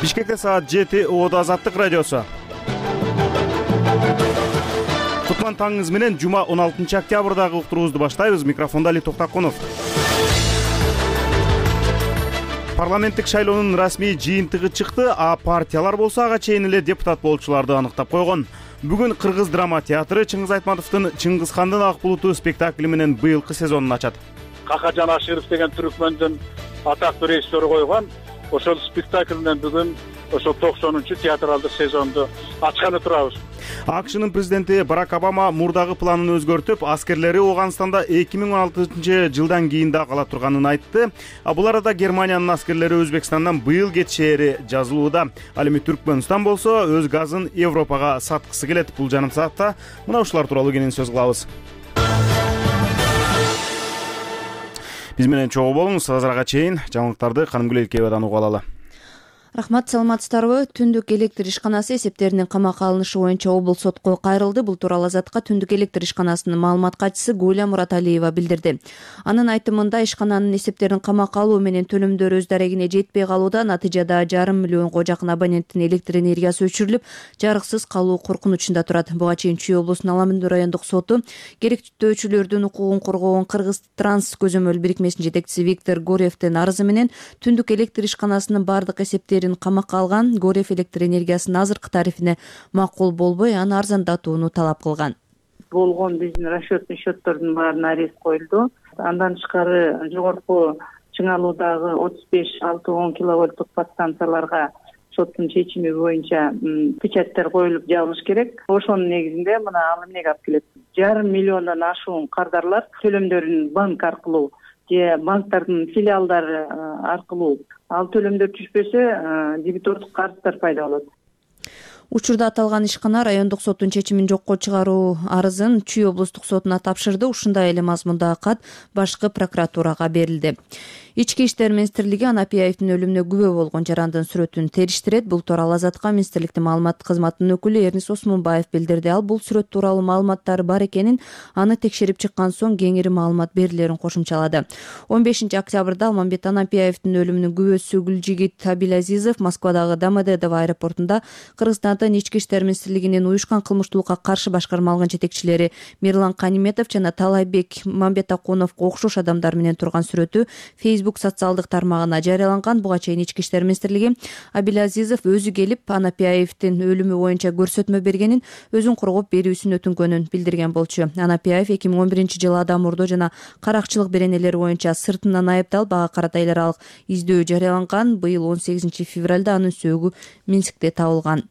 Бишкекте саат 7 Оодо Азаттык радиосу. Кутман таңыңыз менен жума 16 октябрдагы уктуруубузду баштайбыз. Микрофондо Али Токтакунов. Парламенттик шайлоонун расмий жыйынтыгы чыкты, а партиялар болсо ага чейин эле депутат болчуларды аныктап койгон. Бүгүн Кыргыз драма театры Чыңгыз Айтматовдун Чыңгыз хандын ак булуту спектакли менен быйылкы сезонун ачат. Какажан Аширов деген түркмөндүн атактуу режиссеру койгон ошол спектакль менен бүгүн ошол 90-чы театралдык сезонду ачканы турабыз. АКШнын президенти Барак Обама мурдагы планын өзгөртүп, аскерлери Ооганстанда 2016-жылдан кийин да кала турганын айтты. Бул арада Германиянын аскерлери Өзбекстандан быйыл кетишери жазылууда. Ал эми Түркмөнстан болсо өз газын Европага саткысы келет. Бул жарым саатта мына ушулар тууралуу кенен сөз кылабыз. Биз менен чогуу болуңуз. Азырага чейин жаңылыктарды Канымгүл Элкебадан угуп алалы. Рахмат, саламатсыздарбы? Түндүк электр ишканасы эсептеринин камакка алынышы боюнча облус сотко кайрылды. Бул тууралуу Азатка Түндүк электр ишканасынын маалымат катчысы Гуля Мураталиева билдирди. Анын айтымында ишкананын эсептерин камакка алуу менен төлөмдөр өз дарегине жетпей калууда. Натыйжада 5,5 миллионго жакын абоненттин электр энергиясы өчүрүлүп, жарыксыз калуу коркунучунда турат. Буга чейин Чүй облусунун Аламүндү райондук соту керектөөчүлөрдүн укугун коргоон Кыргыз Транс көзөмөл бирикмесинин жетекчиси Виктор Горевдин арызы менен Түндүк электр ишканасынын бардык эсептерин камакка алган. Горев электр энергиясынын азыркы тарифине макул болбой, аны арзандатууну талап кылган. Болгон биздин расчетный счеттордун баарына арест коюлду. Андан тышкары жогорку чыңалуудагы 35-6-10 киловольттук подстанцияларга соттун чечими боюнча печаттар коюлуп жабылыш керек. Ошонун негизинде мына ал эмнеге алып келет? 1,5 миллиондон ашуун кардарлар төлөмдөрүн банк аркылуу же банктардын филиалдары аркылуу ал төлөмдөр түшпөсө дебитордук карыздар пайда болот. Учурда аталган ишкана райондук соттун чечимин жокко чыгаруу арызын Чүй облустук сотуна тапшырды. Ушундай эле мазмундагы кат башкы прокуратурага берилди. Ички иштер министрлиги Анапияевдин өлүмүнө күбө болгон жарандын сүрөтүн териштирет. Бул тууралуу Азатка министрликтин маалымат кызматынын өкүлү Эрнис Осмонбаев билдирди. Ал бул сүрөт тууралуу маалыматтар бар экенин, аны текшерип чыккан соң кеңири маалымат берилерин кошумчалады. 15 октябрда Алмамбет Анапияевдин өлүмүнүн күбөсү Гүлжигит Абилазизов Москвадагы Домодедово аэропортунда Кыргызстандын ички иштер министрлигинин уюшкан кылмыштуулукка каршы башкарма алган жетекчилери Мирлан Каниметов жана Талайбек Мамбетакуновго окшош адамдар менен турган сүрөтү Facebook социалдык тармагына жарыяланган. Буга чейин ички иштер министрлиги Абилазизов өзү келип Анапияевдин өлүмү боюнча көрсөтмө бергенин, өзүн коргоп берүүсүн өтүнгөнүн билдирген болчу. Анапияев 2011-жылы адам урдоо жана каракчылык беренелери боюнча сыртынан айыпталып, ага карата эл аралык издөө жарыяланган. Быйыл 18 февралда анын сөөгү Минскте табылган.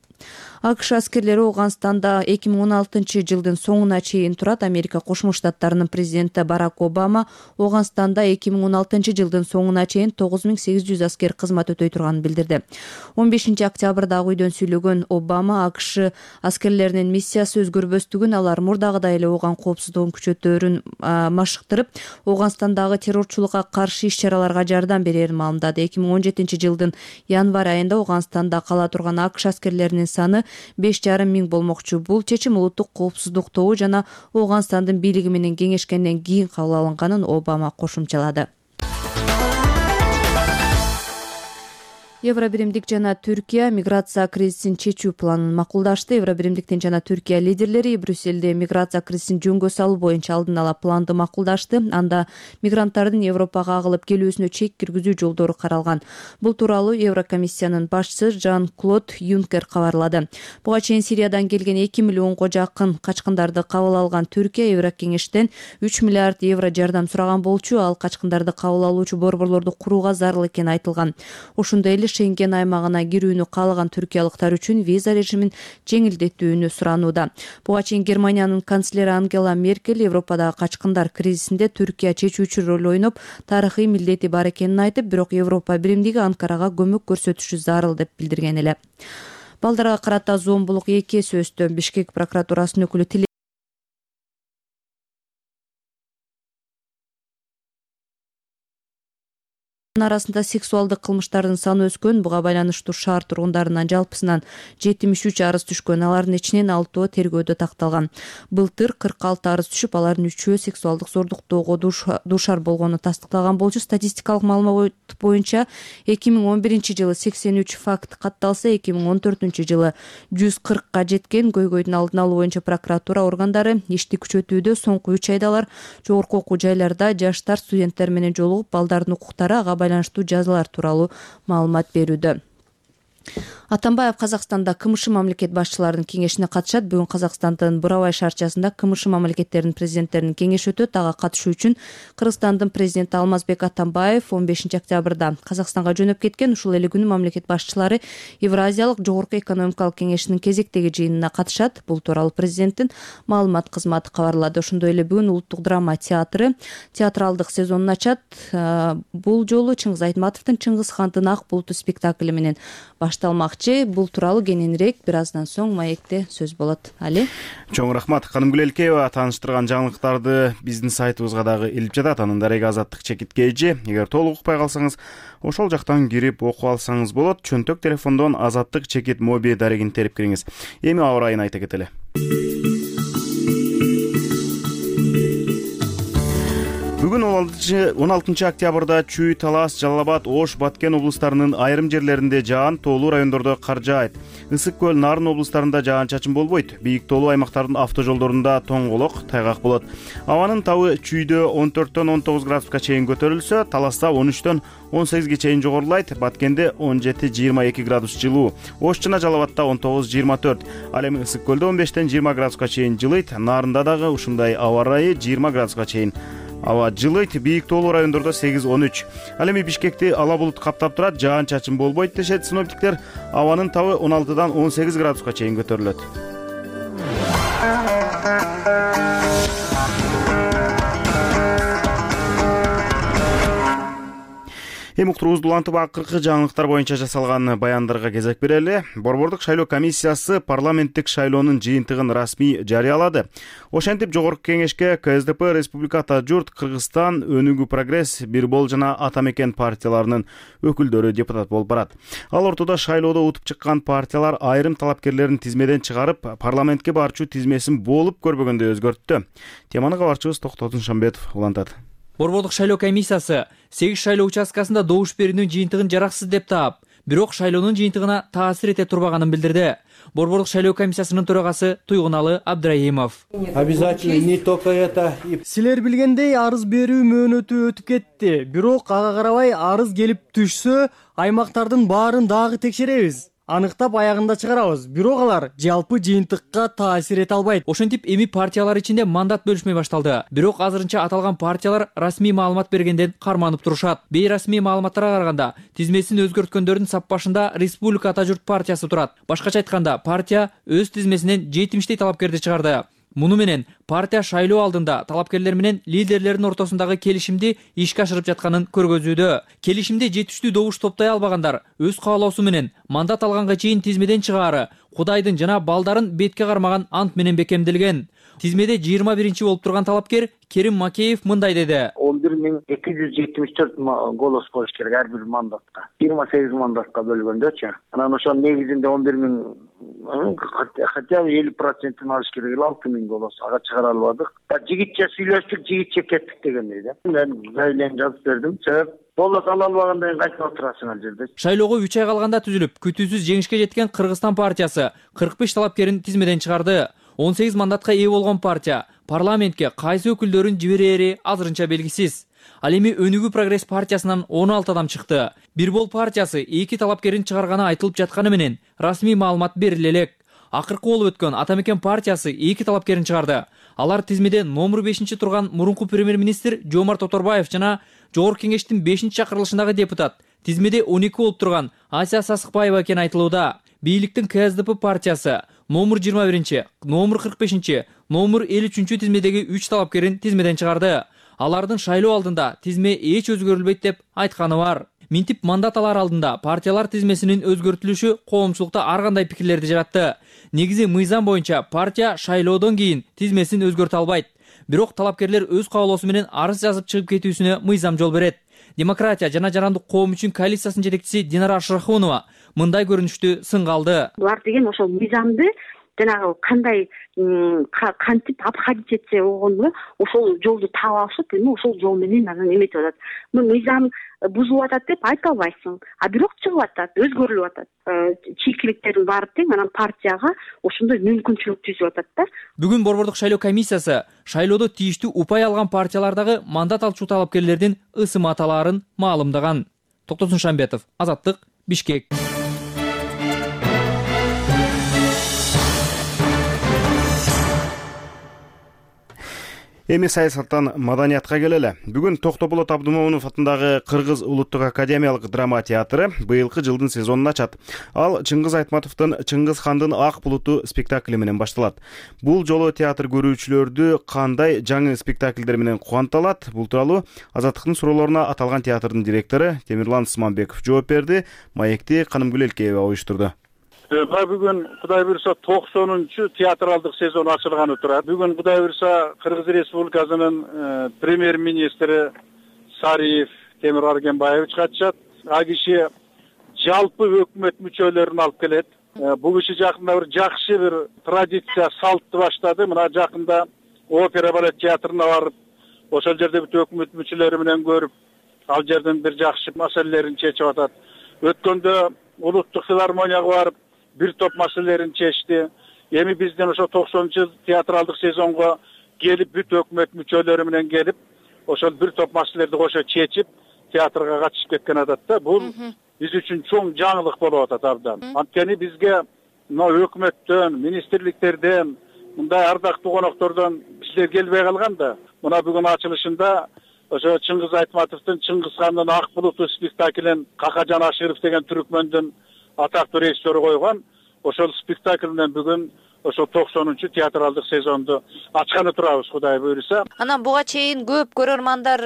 АКШ аскерлери Ооганстанда 2016-жылдын соңуна чейин турат. Америка Кошмо Штаттарынын президенти Барак Обама Ооганстанда 2016-жылдын соңуна чейин 9800 аскер кызмат өтөй турганын билдирди. 15 октябрда үйдөн сүйлөгөн Обама АКШ аскерлеринин миссиясы өзгөрбөстүгүн, алар мурдагыдай эле Ооган коопсуздугун күчөтөөрүн машыктырып, Ооганстандагы террорчулукка каршы иш-чараларга жардам берерин маалымдады. 2017-жылдын январь айында Ооганстанда кала турган АКШ аскерлеринин саны 5,5 миң болмокчу. Бул чечим улуттук коопсуздук тобу жана Ооганстандын бийлиги менен кеңешкенден кийин кабыл алынганын Обама кошумчалады. Евробиримдик жана Түркия миграция кризисин чечүү планын макулдашты. Евробиримдиктин жана Түркия лидерлери Брюсселде миграция кризисин жөнгө салуу боюнча алдын ала планды макулдашты. Анда мигранттардын Европага агылып келүүсүнө чек киргизүү жолдору каралган. Бул тууралуу Еврокомиссиянын башчысы Жан-Клод Юнкер кабарлады. Буга чейин Сириядан келген 2 миллионго жакын качкындарды кабыл алган Түркия Еврокеңештен 3 миллиард евро жардам сураган болчу. Ал качкындарды кабыл алуучу борборлорду курууга зарыл экени айтылган. Ошондой эле Шенген аймагына кирүүнү каалаган түркиялыктар үчүн виза режимин жеңилдетүүнү суранууда. Буга чейин Германиянын канцлери Ангела Меркель Европадагы качкындар кризисинде Түркия чечүүчү роль ойноп, тарыхый милдети бар экенин айтып, бирок Европа биримдиги Анкарага көмөк көрсөтүшү зарыл деп билдирген эле. Балдарга карата зомбулук 2 эсе өстү. Бишкек прокуратурасынын өкүлү арасында сексуалдык кылмыштардын саны өскөн. Буга байланыштуу шаар тургундарынан жалпысынан 73 арыз түшкөн. Алардын ичинен 6 тергөөдө такталган. Былтыр 46 арыз түшүп, алардын 3-өө сексуалдык зордуктоого дуушар болгону тастыкталган болчу. Статистикалык маалымат боюнча 2011-жылы 83 факт катталса, 2014-жылы 140ка жеткен. Көйгөйдүн алдын алуу боюнча прокуратура органдары ишти күчөтүүдө. Соңку 3 айда алар жогорку окуу жайларда жаштар, студенттер менен жолугуп, балдардын укуктары, ага байланыштуу жазалар тууралуу маалымат берүүдө. Атамбаев Казакстанда КМШ мамлекет башчыларынын кеңешине катышат. Бүгүн Казакстандын Бурабай шаарчасында КМШ мамлекеттеринин президенттеринин кеңеши өтөт. Ага катышуу үчүн Кыргызстандын президенти Алмазбек Атамбаев 15 октябрда Казакстанга жөнөп кеткен. Ушул эле күнү мамлекет башчылары Евразиялык жогорку экономикалык кеңешинин кезектеги жыйынына катышат. Бул тууралуу президенттин маалымат кызматы кабарлады. Ошондой эле бүгүн Улуттук драма театры театралдык сезонун ачат. Бул жолу Чыңгыз Айтматовдун Чыңгыз хандын ак булуту спектакли менен башталмакчы. Бул тууралуу кененирээк бир аздан соң маекте сөз болот. Али. Чоң рахмат. Канымгүл Элкеева тааныштырган жаңылыктарды биздин сайтыбызга дагы илип жатат. Анын дареги Азаттык чекитке эже. Эгер толук укпай калсаңыз, ошол жактан кирип окуп алсаңыз болот. Чөнтөк телефондон Азаттык чекит моби дарегин терип кириңиз. Эми аба ырайын айта кетели. Бүгүн 16 октябрда Чүй, Талас, Жалал Абад, Ош, Баткен облустарынын айрым жерлеринде жаан, тоолуу райондордо кар жаайт. Ысык көл, Нарын облустарында жаан-чачын болбойт. Бийик тоолуу аймактардын автожолдорунда тоңголок, тайгак болот. Абанын табы Чүйдө 14төн 19 градуска чейин көтөрүлсө, Таласта 13төн 18ге чейин жогорулайт. Баткенде 17-22 градус жылуу. Ош жана Жалал Абадта 19-24. Ал эми Ысык көлдө 15тен 20 градуска чейин жылыйт. Нарында дагы ушундай аба ырайы 20 градуска чейин аба жылыйт. Бийик тоолуу райондордо 8-13. Ал эми Бишкекти ала булут каптап турат, жаан-чачын болбойт дешет синоптиктер. Абанын табы 16дан 18 градуска чейин көтөрүлөт. Эми уктуруубузду улантып, акыркы жаңылыктар боюнча жасалган баяндарга кезек берели. Борбордук шайлоо комиссиясы парламенттик шайлоонун жыйынтыгын расмий жарыялады. Ошентип, жогорку кеңешке КСДП, Республика Ата журт, Кыргызстан, Өнүгүү Прогресс, Бирбол жана Ата Мекен партияларынын өкүлдөрү депутат болуп барат. Ал ортодо шайлоодо утуп чыккан партиялар айрым талапкерлерин тизмеден чыгарып, парламентке барчу тизмесин болуп көрбөгөндөй өзгөрттү. Теманы кабарчыбыз Токтотун Шамбетов улантат. Борбордук шайлоо комиссиясы 8 шайлоо участкасында добуш берүүнүн жыйынтыгын жараксыз деп таап, бирок шайлоонун жыйынтыгына таасир эте турбаганын билдирди. Борбордук шайлоо комиссиясынын төрагасы Туйгуналы Абдрайымов. Обязательно не только это. Силер билгендей арыз берүү мөөнөтү өтүп кетти. Бирок ага карабай арыз келип түшсө, аймактардын баарын дагы текшеребиз. Аныктап аягында чыгарабыз. Бирок алар жалпы жыйынтыкка таасир эте албайт. Ошентип, эми партиялар ичинде мандат бөлүшмөй башталды. Бирок азырынча аталган партиялар расмий маалымат бергенден карманып турушат. Бейрасмий маалыматтарга караганда, тизмесин өзгөрткөндөрдүн саппашында Республика Ата журт партиясы турат. Башкача айтканда, партия өз тизмесинен 70 талапкерди чыгарды. Муну менен партия шайлоо алдында талапкерлер менен лидерлердин ортосундагы келишимди ишке ашырып жатканын көргөзүүдө. Келишимде жетиштүү добуш топтой албагандар өз каалоосу менен мандат алганга чейин тизмеден чыгаары Кудайдын жана балдарын бетке кармаган ант менен бекемделген. Тизмеде 21 болуп турган талапкер Керим Макеев мындай деди. 11274 голос болуш керек ар бир мандатка. 28 мандатка бөлгөндөчү. Анан ошонун негизинде 11000 хотя бы 50%-ын алыш керек 6000 голос. Ага чыгара албадык. Жигитче сүйлөштүк, жигитче кеттик дегендей да. Мен заявление жазып бердим. Себеп голос ала албагандан кийин кайтып отурасың ал жерде. Шайлоого 3 ай калганда түзүлүп, күтүүсүз жеңишке жеткен Кыргызстан партиясы 45 талапкерин тизмеден чыгарды. 18 мандатка ээ болгон партия парламентке кайсы өкүлдөрүн жиберери азырынча белгисиз. Ал эми Өнүгүү Прогресс партиясынан 16 адам чыкты. Бирбол партиясы 2 талапкерин чыгарганы айтылып жатканы менен расмий маалымат бериле элек. Акыркы болуп өткөн Ата Мекен партиясы 2 талапкерин чыгарды. Алар тизмеде номер 5 турган мурунку премьер-министр Жомарт Оторбаев жана Жогорку кеңештин 5-чакырылышындагы депутат тизмеде 12 болуп турган Ася Сасыкбаева экени айтылууда. Бийликтин КСДП партиясы номер 21, номер 45, номер 53 тизмедеги 3 талапкерин тизмеден чыгарды. Алардын шайлоо алдында тизме эч өзгөрүлбөйт деп айтканы бар. Минтип мандат алар алдында партиялар тизмесинин өзгөртүлүшү коомчулукта ар кандай пикирлерди жаратты. Негизи мыйзам боюнча партия шайлоодон кийин тизмесин өзгөртө албайт. Бирок талапкерлер өз каалоосу менен арыз жазып чыгып кетүүсүнө мыйзам жол берет. Демократия жана жарандык коом үчүн коалициясынын жетекчиси Динара Ашрахунова мындай көрүнүштү сынга алды. Булар деген ошол мыйзамды жанагы кандай кантип обходить этсе болгону ошол жолду таап алышып, эми ошол жол менен анан эметип атат. Мыйзам бузулуп атат деп айта албайсың, а бирок чыгып атат, өзгөрүлүп атат. Чийкиликтердин баары тең, анан партияга ошондой мүмкүнчүлүк түзүп атат да. Бүгүн Борбордук шайлоо комиссиясы шайлоодо тийиштүү упай алган партиялардагы мандат алчу талапкерлердин ысым аталарын маалымдаган. Токтосун Шамбетов, Азаттык, Бишкек. Эми саясаттан маданиятка келели. Бүгүн Токтополот Абдымомунов атындагы Кыргыз улуттук академиялык драма театры быйылкы жылдын сезонун ачат. Ал Чыңгыз Айтматовдун Чыңгыз хандын Ак булуту спектакли менен башталат. Бул жолу театр көрүүчүлөрдү кандай жаңы спектакльдер менен кубанта алат? Бул тууралуу Азаттыктын суроолоруна аталган театрдын директору Темирлан Сманбеков жооп берди. Маекти Канымгүл Элкеева уюштурду. Бүгүн Кудай буйрса 90-чу театралдык сезон ачылганы турат. Бүгүн Кудай буйрса Кыргыз Республикасынын премьер-министри Сариев Темир Аргенбаевич катышат. А киши жалпы өкмөт мүчөлөрүн алып келет. Бул киши жакында бир жакшы бир традиция, салтты баштады. Мына жакында опера балет театрына барып, ошол жерде бүт өкмөт мүчөлөрү менен көрүп, ал жерден бир жакшы маселелерин чечип атат. Өткөндө улуттук филармонияга барып бир топ маселелерин чечти. Эми бизден ошо 90-чу театралдык сезонго келип, бүт өкмөт мүчөлөрү менен келип, ошол бир топ маселелерди кошо чечип, театрга катышып кеткен атат да. Бул биз үчүн чоң жаңылык болуп атат абдан. Анткени бизге мына өкмөттөн, министрликтерден, мындай ардактуу коноктордон кишилер келбей калган да. Мына бүгүн ачылышында ошо Чыңгыз Айтматовдун Чыңгыз хандын Ак булуту спектаклин Какажан Аширов деген түркмөндүн атактуу режиссеру койгон. Ошол спектакль менен бүгүн ошо 90-чу театралдык сезонду ачканы турабыз, Кудай буйрса. Анан буга чейин көп көрөрмандар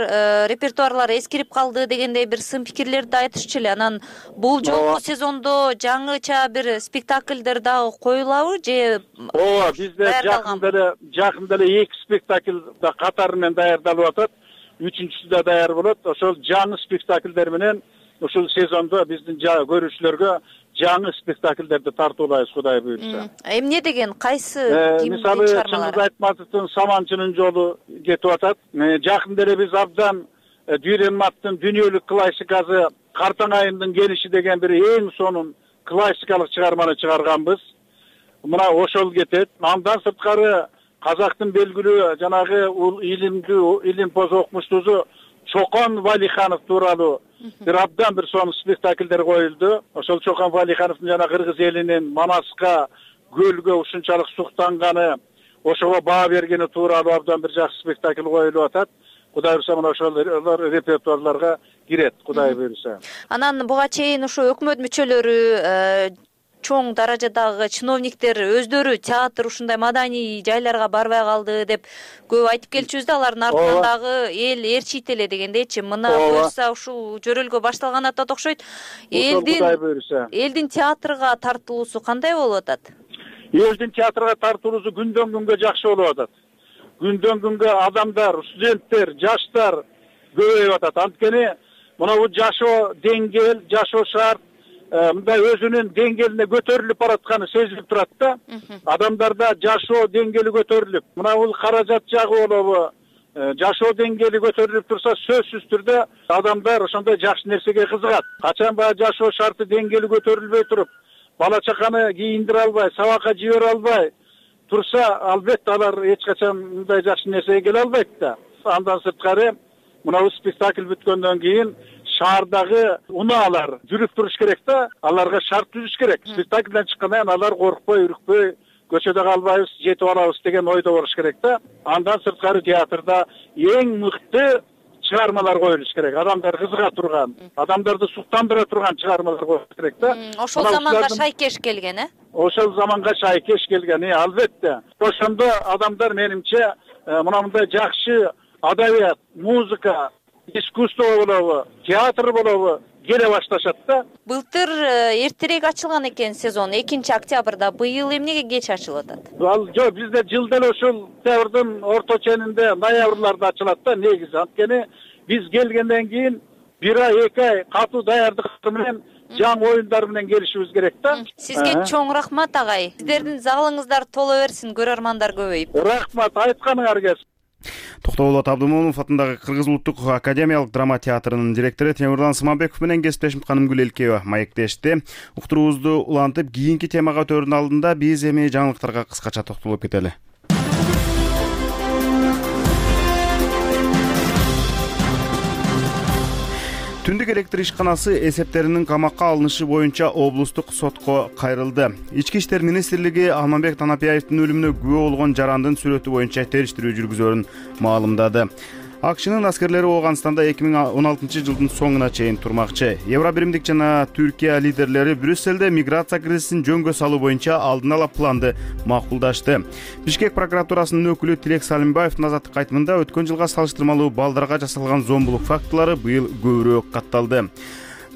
репертуарлары эскирип калды дегендей бир сын пикирлерди айтышчу эле. Анан бул жолку сезондо жаңыча бир спектакльдер дагы коюлабы же? Ооба, бизде жакында эле 2 спектакль да катары менен даярдалып атат. 3-чүсү да даяр болот. Ошол жаңы спектакльдер менен ушул сезондо биздин көрүүчүлөргө жаңы спектакльдерди тартуулайбыз, Кудай буйрса. Эмне деген кайсы мисалы Чыңгыз Айтматовдун Саманчынын жолу кетип атат. Жакында эле биз абдан Дүйренматтын дүйнөлүк классикасы Картаң айындын келиши деген бир эң сонун классикалык чыгарманы чыгарганбыз. Мына ошол кетет. Андан сырткары казактын белгилүү жанагы илимпоз окумуштуусу Чокон Валиханов тууралуу бир абдан бир сонун спектакльдер коюлду. Ошол Чокон Валихановдун жана кыргыз элинин Манаска, көлгө ушунчалык суктанганы, ошого баа бергени тууралуу абдан бир жакшы спектакль коюлуп атат. Кудай буйрса мына ошол репертуарларга кирет, Кудай буйрса. Анан буга чейин ошо өкмөт мүчөлөрү, чоң даражадагы чиновниктер өздөрү театр ушундай маданий жайларга барбай калды деп көп айтып келчүбүз да, алардын артынан дагы эл ээрчийт эле дегендейчи. Мына буюрса ушул жөрөлгө башталган атат окшойт. Элдин театрга тартылуусу кандай болуп атат? Элдин театрга тартылуусу күндөн күнгө жакшы болуп атат. Күндөн күнгө адамдар, студенттер, жаштар көбөйүп атат. Анткени мына бул жашоо деңгээл, жашоо шарт мындай өзүнүн деңгээлине көтөрүлүп баратканы сезилип турат да. Адамдарда жашоо деңгээли көтөрүлүп, мына бул каражат жагы болобу, жашоо деңгээли көтөрүлүп турса, сөзсүз түрдө адамдар ошондой жакшы нерсеге кызыгат. Качан баягы жашоо шарты деңгээли көтөрүлбөй туруп, бала чаканы кийиндире албай, сабакка жибере албай турса, албетте алар эч качан мындай жакшы нерсеге келе албайт да. Андан сырткары мына бул спектакль бүткөндөн кийин шаардагы унаалар жүрүп туруш керек да, аларга шарт түзүш керек. Спектакльден чыккандан кийин алар коркпой, үрүкпөй, көчөдө калбайбыз, жетип алабыз деген ойдо болуш керек да. Андан сырткары театрда эң мыкты чыгармалар коюлуш керек. Адамдар кызыга турган, адамдарды суктандыра турган чыгармалар коюлуш керек да. Ошол заманга шайкеш келген, Ошол заманга шайкеш келген, албетте. Ошондо адамдар менимче мындай жакшы адабият, музыка, искусство болобу, театр болобу келе башташат да. Былтыр эртерээк ачылган экен сезон, 2-октябрда. Быйыл эмнеге кеч ачылып атат? Жок, бизде жылда эле ушул октябрдын орто ченинде, ноябрларда ачылат да негизи. Анткени биз келгенден кийин 1 ай 2 ай катуу даярдыктар менен жаңы оюндар менен келишибиз керек да. Сизге чоң рахмат агай. Сиздердин залыңыздар толо берсин, көрөрмандар көбөйүп. Рахмат, айтканыңарга. Токтогулот Абдымомунов атындагы Кыргыз улуттук академиялык драма театрынын директору Темирлан Сыманбеков менен кесиптешим Канымгүл Элкеева маектешти. Уктуруубузду улантып, кийинки темага өтөөрдүн алдында биз эми жаңылыктарга кыскача токтолуп кетели. Түндүк электр ишканасы эсептеринин камакка алынышы боюнча облустук сотко кайрылды. Ички иштер министрлиги Алмамбек Танапиевдин өлүмүнө күбө болгон жарандын сүрөтү боюнча териштирүү жүргүзөөрүн маалымдады. АКШнын аскерлери Ооганстанда 2016 жылдын соңуна чейин турмакчы. Евробиримдик жана Түркия лидерлери Брюсселде миграция кризисин жөнгө салуу боюнча алдын ала планды макулдашты. Бишкек прокуратурасынын өкүлү Тилек Салимбаевдин азаттык айтымында өткөн жылга салыштырмалуу балдарга жасалган зомбулук фактылары быйыл көбүрөөк катталды.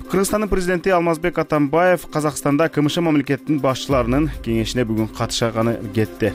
Кыргызстандын президенти Алмазбек Атамбаев Казакстанда КМШ мамлекетинин башчыларынын кеңешине бүгүн катышканы кетти.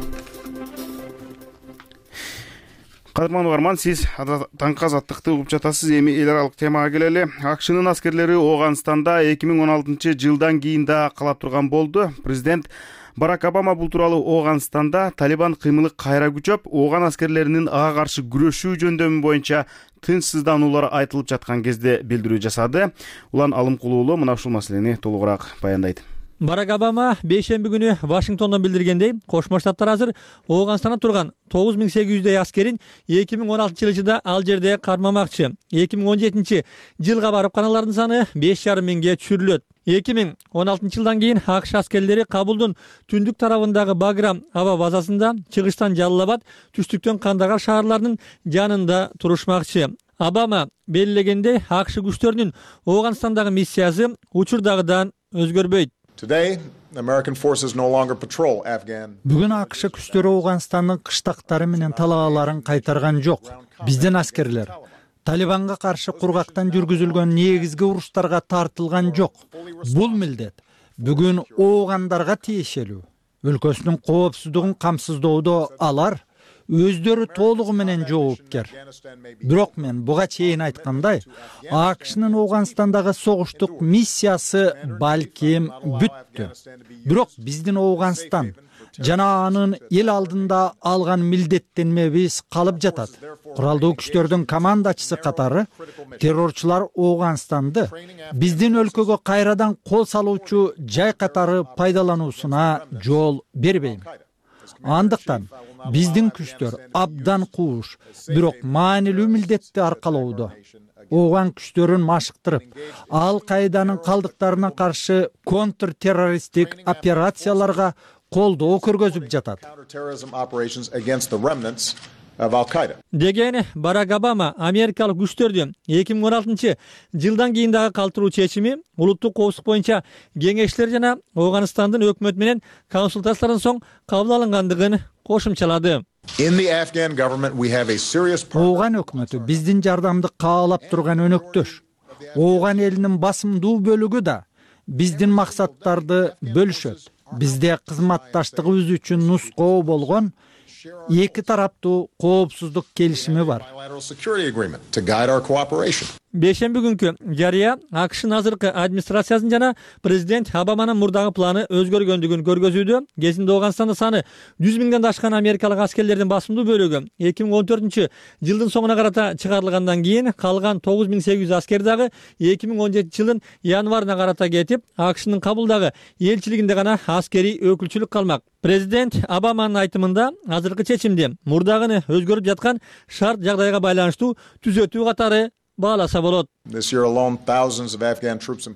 Кадырман угарман, сиз таңкы азаттыкты угуп жатасыз. Эми эл аралык темага келели. АКШнын аскерлери Ооганстанда 2016 жылдан кийин да кала турган болду. Президент Барак Обама бул тууралуу Ооганстанда Талибан кыймылы кайра күчөп, Ооган аскерлеринин ага каршы күрөшүү жөндөмү боюнча тынчсыздануулар айтылып жаткан кезде билдирүү жасады. Улан Алымкулуулу мына ушул маселени толугураак баяндайт. Барак Обама бейшемби күнү Вашингтондон билдиргендей, Кошмо Штаттар азыр Ооганстанда турган 9800 аскерин 2016 жылда ал жерде кармамакчы. 2017 жылга барып каналардын саны 5,5 миңге түшүрүлөт. 2016 жылдан кийин АКШ аскерлери Кабулдун түндүк тарабындагы Баграм аба базасында, чыгыштан Жалалабад, түштүктөн Кандагар шаарларынын жанында турушмакчы. Обама белгилегендей, АКШ күчтөрүнүн Ооганстандагы миссиясы учурдагыдан өзгөрбөйт. Бүгүн АКШ күчтөрү Ооганстандын кыштактары менен талааларын кайтарган жок. Биздин аскерлер Талибанга каршы кургактан жүргүзүлгөн негизги уруштарга тартылган жок. Бул милдет бүгүн оогандарга тиешелүү. Өлкөсүнүн коопсуздугун камсыздоодо алар өздөрү толугу менен жоопкер. Бирок мен буга чейин айткандай, АКШнын Ооганстандагы согуштук миссиясы балким бүттү. Бирок биздин Ооганстан жана анын эл алдында алган милдеттенмебиз калып жатат. Куралдуу күчтөрдүн командачысы катары террорчулар Ооганстанды биздин өлкөгө кайрадан кол салуучу жай катары пайдалануусуна жол бербейм. Андыктан биздин күчтөр абдан кууш, бирок маанилүү милдетти аркалоодо. Ооган күчтөрүн машыктырып, Ал-Каиданын калдыктарына каршы контртеррористтик операцияларга колдоо көргөзүп жатат. Деген Барак Обама америкалык күчтөрдү 2016 жылдан кийин дагы калтыруу чечими улуттук коопсуздук боюнча кеңештер жана Ооганстандын өкмөтү менен консультациялардан соң кабыл алынгандыгын кошумчалады. Ооган өкмөтү биздин жардамды каалап турган өнөктөш. Ооган элинин басымдуу бөлүгү да биздин максаттарды бөлүшөт. Бизде кызматташтыгыбыз үчүн нускоо болгон эки тараптуу коопсуздук келишими бар. Бейшемби күнкү жарыя АКШнын азыркы администрациясынын жана президент Обаманын мурдагы планы өзгөргөндүгүн көргөзүүдө. Кезинде Ооганстанда саны 100 миңден ашкан америкалык аскерлердин басымдуу бөлүгү 2014 жылдын соңуна карата чыгарылгандан кийин калган 9800 аскер дагы 2017 жылдын январына карата кетип, АКШнын Кабулдагы элчилигинде гана аскерий өкүлчүлүк калмак. Президент Обаманын айтымында азыркы чечимди мурдагыны өзгөрүп жаткан шарт жагдайга байланыштуу түзөтүү катары бааласа болот.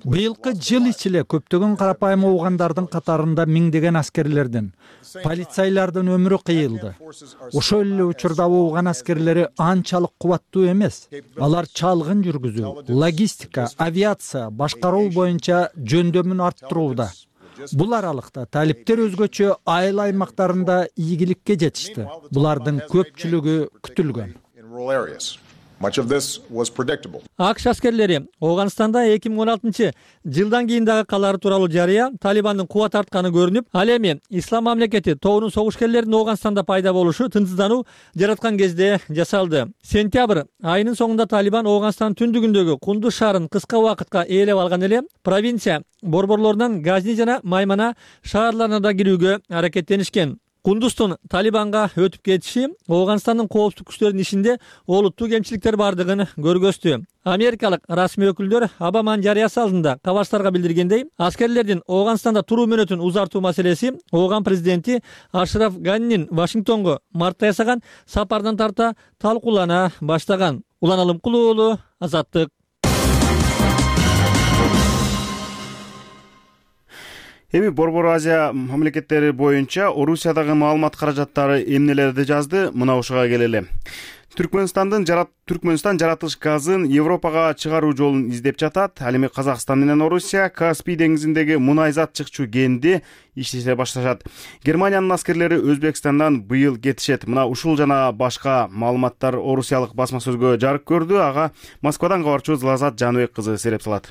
Быйылкы жыл ичиле көптөгөн карапайым оогандардын катарында миңдеген аскерлердин, полицайлардын өмүрү кыйылды. Ошол эле учурда ооган аскерлери анчалык кубаттуу эмес. Алар чалгын жүргүзүү, логистика, авиация, башкаруу боюнча жөндөмүн арттырууда. Бул аралыкта талиптер өзгөчө айыл аймактарында ийгиликке жетишти. Булардын көпчүлүгү күтүлгөн. АКШ аскерлери Ооганстанда 2016-жылдан кийин дагы калары тууралуу жарыя Талибандын кубат артканы көрүнүп, ал эми Ислам мамлекети тобунун согушкерлеринин Ооганстанда пайда болушу тынчсыздануу жараткан кезде жасалды. Сентябрь айынын соңунда Талибан Ооганстандын түндүгүндөгү Кундуз шаарын кыска убакытка ээлеп алган эле провинция борборлорунан Газни жана Маймана шаарларына да кирүүгө аракеттенишкен. Кундуздун Талибанга өтүп кетиши Ооганстандын коопсуздук күчтөрүнүн ишинде олуттуу кемчиликтер бардыгын көргөздү. Америкалык расмий өкүлдөр Обаманын жарыясы алдында кабарчыларга билдиргендей, аскерлердин Ооганстанда туруу мөөнөтүн узартуу маселеси Ооган президенти Ашраф Ганинин Вашингтонго мартта жасаган сапарынан тарта талкуулана баштаган. Улан Алымкулуу уулу, Азаттык. Эми Борбор Азия мамлекеттери боюнча Орусиядагы маалымат каражаттары эмнелерди жазды, мына ушуга келели. Түркмөнстан жаратылыш газын Европага чыгаруу жолун издеп жатат. Ал эми Казакстан менен Орусия Каспий деңизиндеги мунайзат чыкчу кенди иштете башташат. Германиянын аскерлери Өзбекстандан быйыл кетишет. Мына ушул жана башка маалыматтар орусиялык басма сөзгө жарык көрдү. Ага Москвадан кабарчыбыз Лазат Жаныбек кызы сереп салат.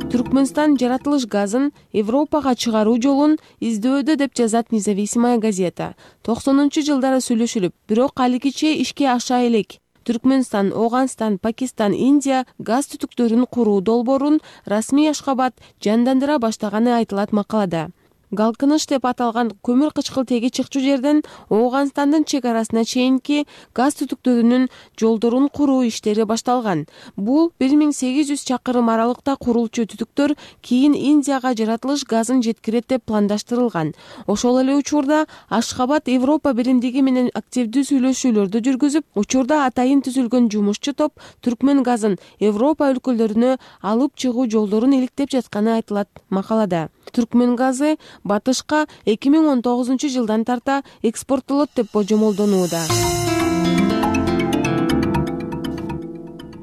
Түркмөнстан жаратылыш газын Европага чыгаруу жолун издөөдө деп жазат Независимая газета. 90-жылдары сүйлөшүлүп, бирок алигиче ишке аша элек. Түркмөнстан, Ооганстан, Пакистан, Индия газ түтүктөрүн куруу долбоорун расмий Ашхабад жандандыра баштаганы айтылат макалада. Галкыныш деп аталган көмүр кычкылтеги чыкчу жерден Ооганстандын чек арасына чейинки газ түтүктөрүнүн жолдорун куруу иштери башталган. Бул 1800 чакырым аралыкта курулчу түтүктөр кийин Индияга жаратылыш газын жеткирет деп пландаштырылган. Ошол эле учурда Ашхабад Европа биримдиги менен активдүү сүйлөшүүлөрдү жүргүзүп, учурда атайын түзүлгөн жумушчу топ Түркмөн газын Европа өлкөлөрүнө алып чыгуу жолдорун иликтеп жатканы айтылат макалада. Түркмөн газы батышка 2019-жылдан тарта экспорттолот деп божомолдонууда.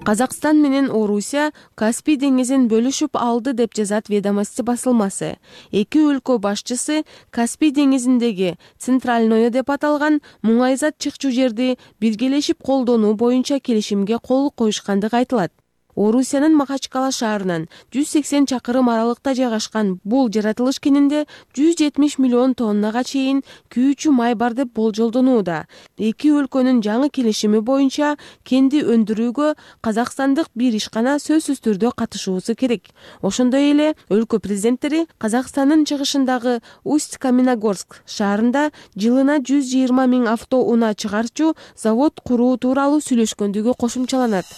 Казакстан менен Орусия Каспий деңизин бөлүшүп алды деп жазат Ведомости басылмасы. Эки өлкө башчысы Каспий деңизиндеги Центральное деп аталган муңайзат чыкчу жерди биргелешип колдонуу боюнча келишимге кол коюшкандыгы айтылат. Орусиянын Махачкала шаарынан 180 чакырым аралыкта жайгашкан бул жаратылыш кенинде 170 миллион тоннага чейин күйүүчү май бар деп болжолдонууда. Эки өлкөнүн жаңы келишими боюнча кенди өндүрүүгө казакстандык бир ишкана сөзсүз түрдө катышуусу керек. Ошондой эле өлкө президенттери Казакстандын чыгышындагы Усть-Каменогорск шаарында жылына 120 000 авто унаа чыгарчу завод куруу тууралуу сүйлөшкөндүгү кошумчаланат.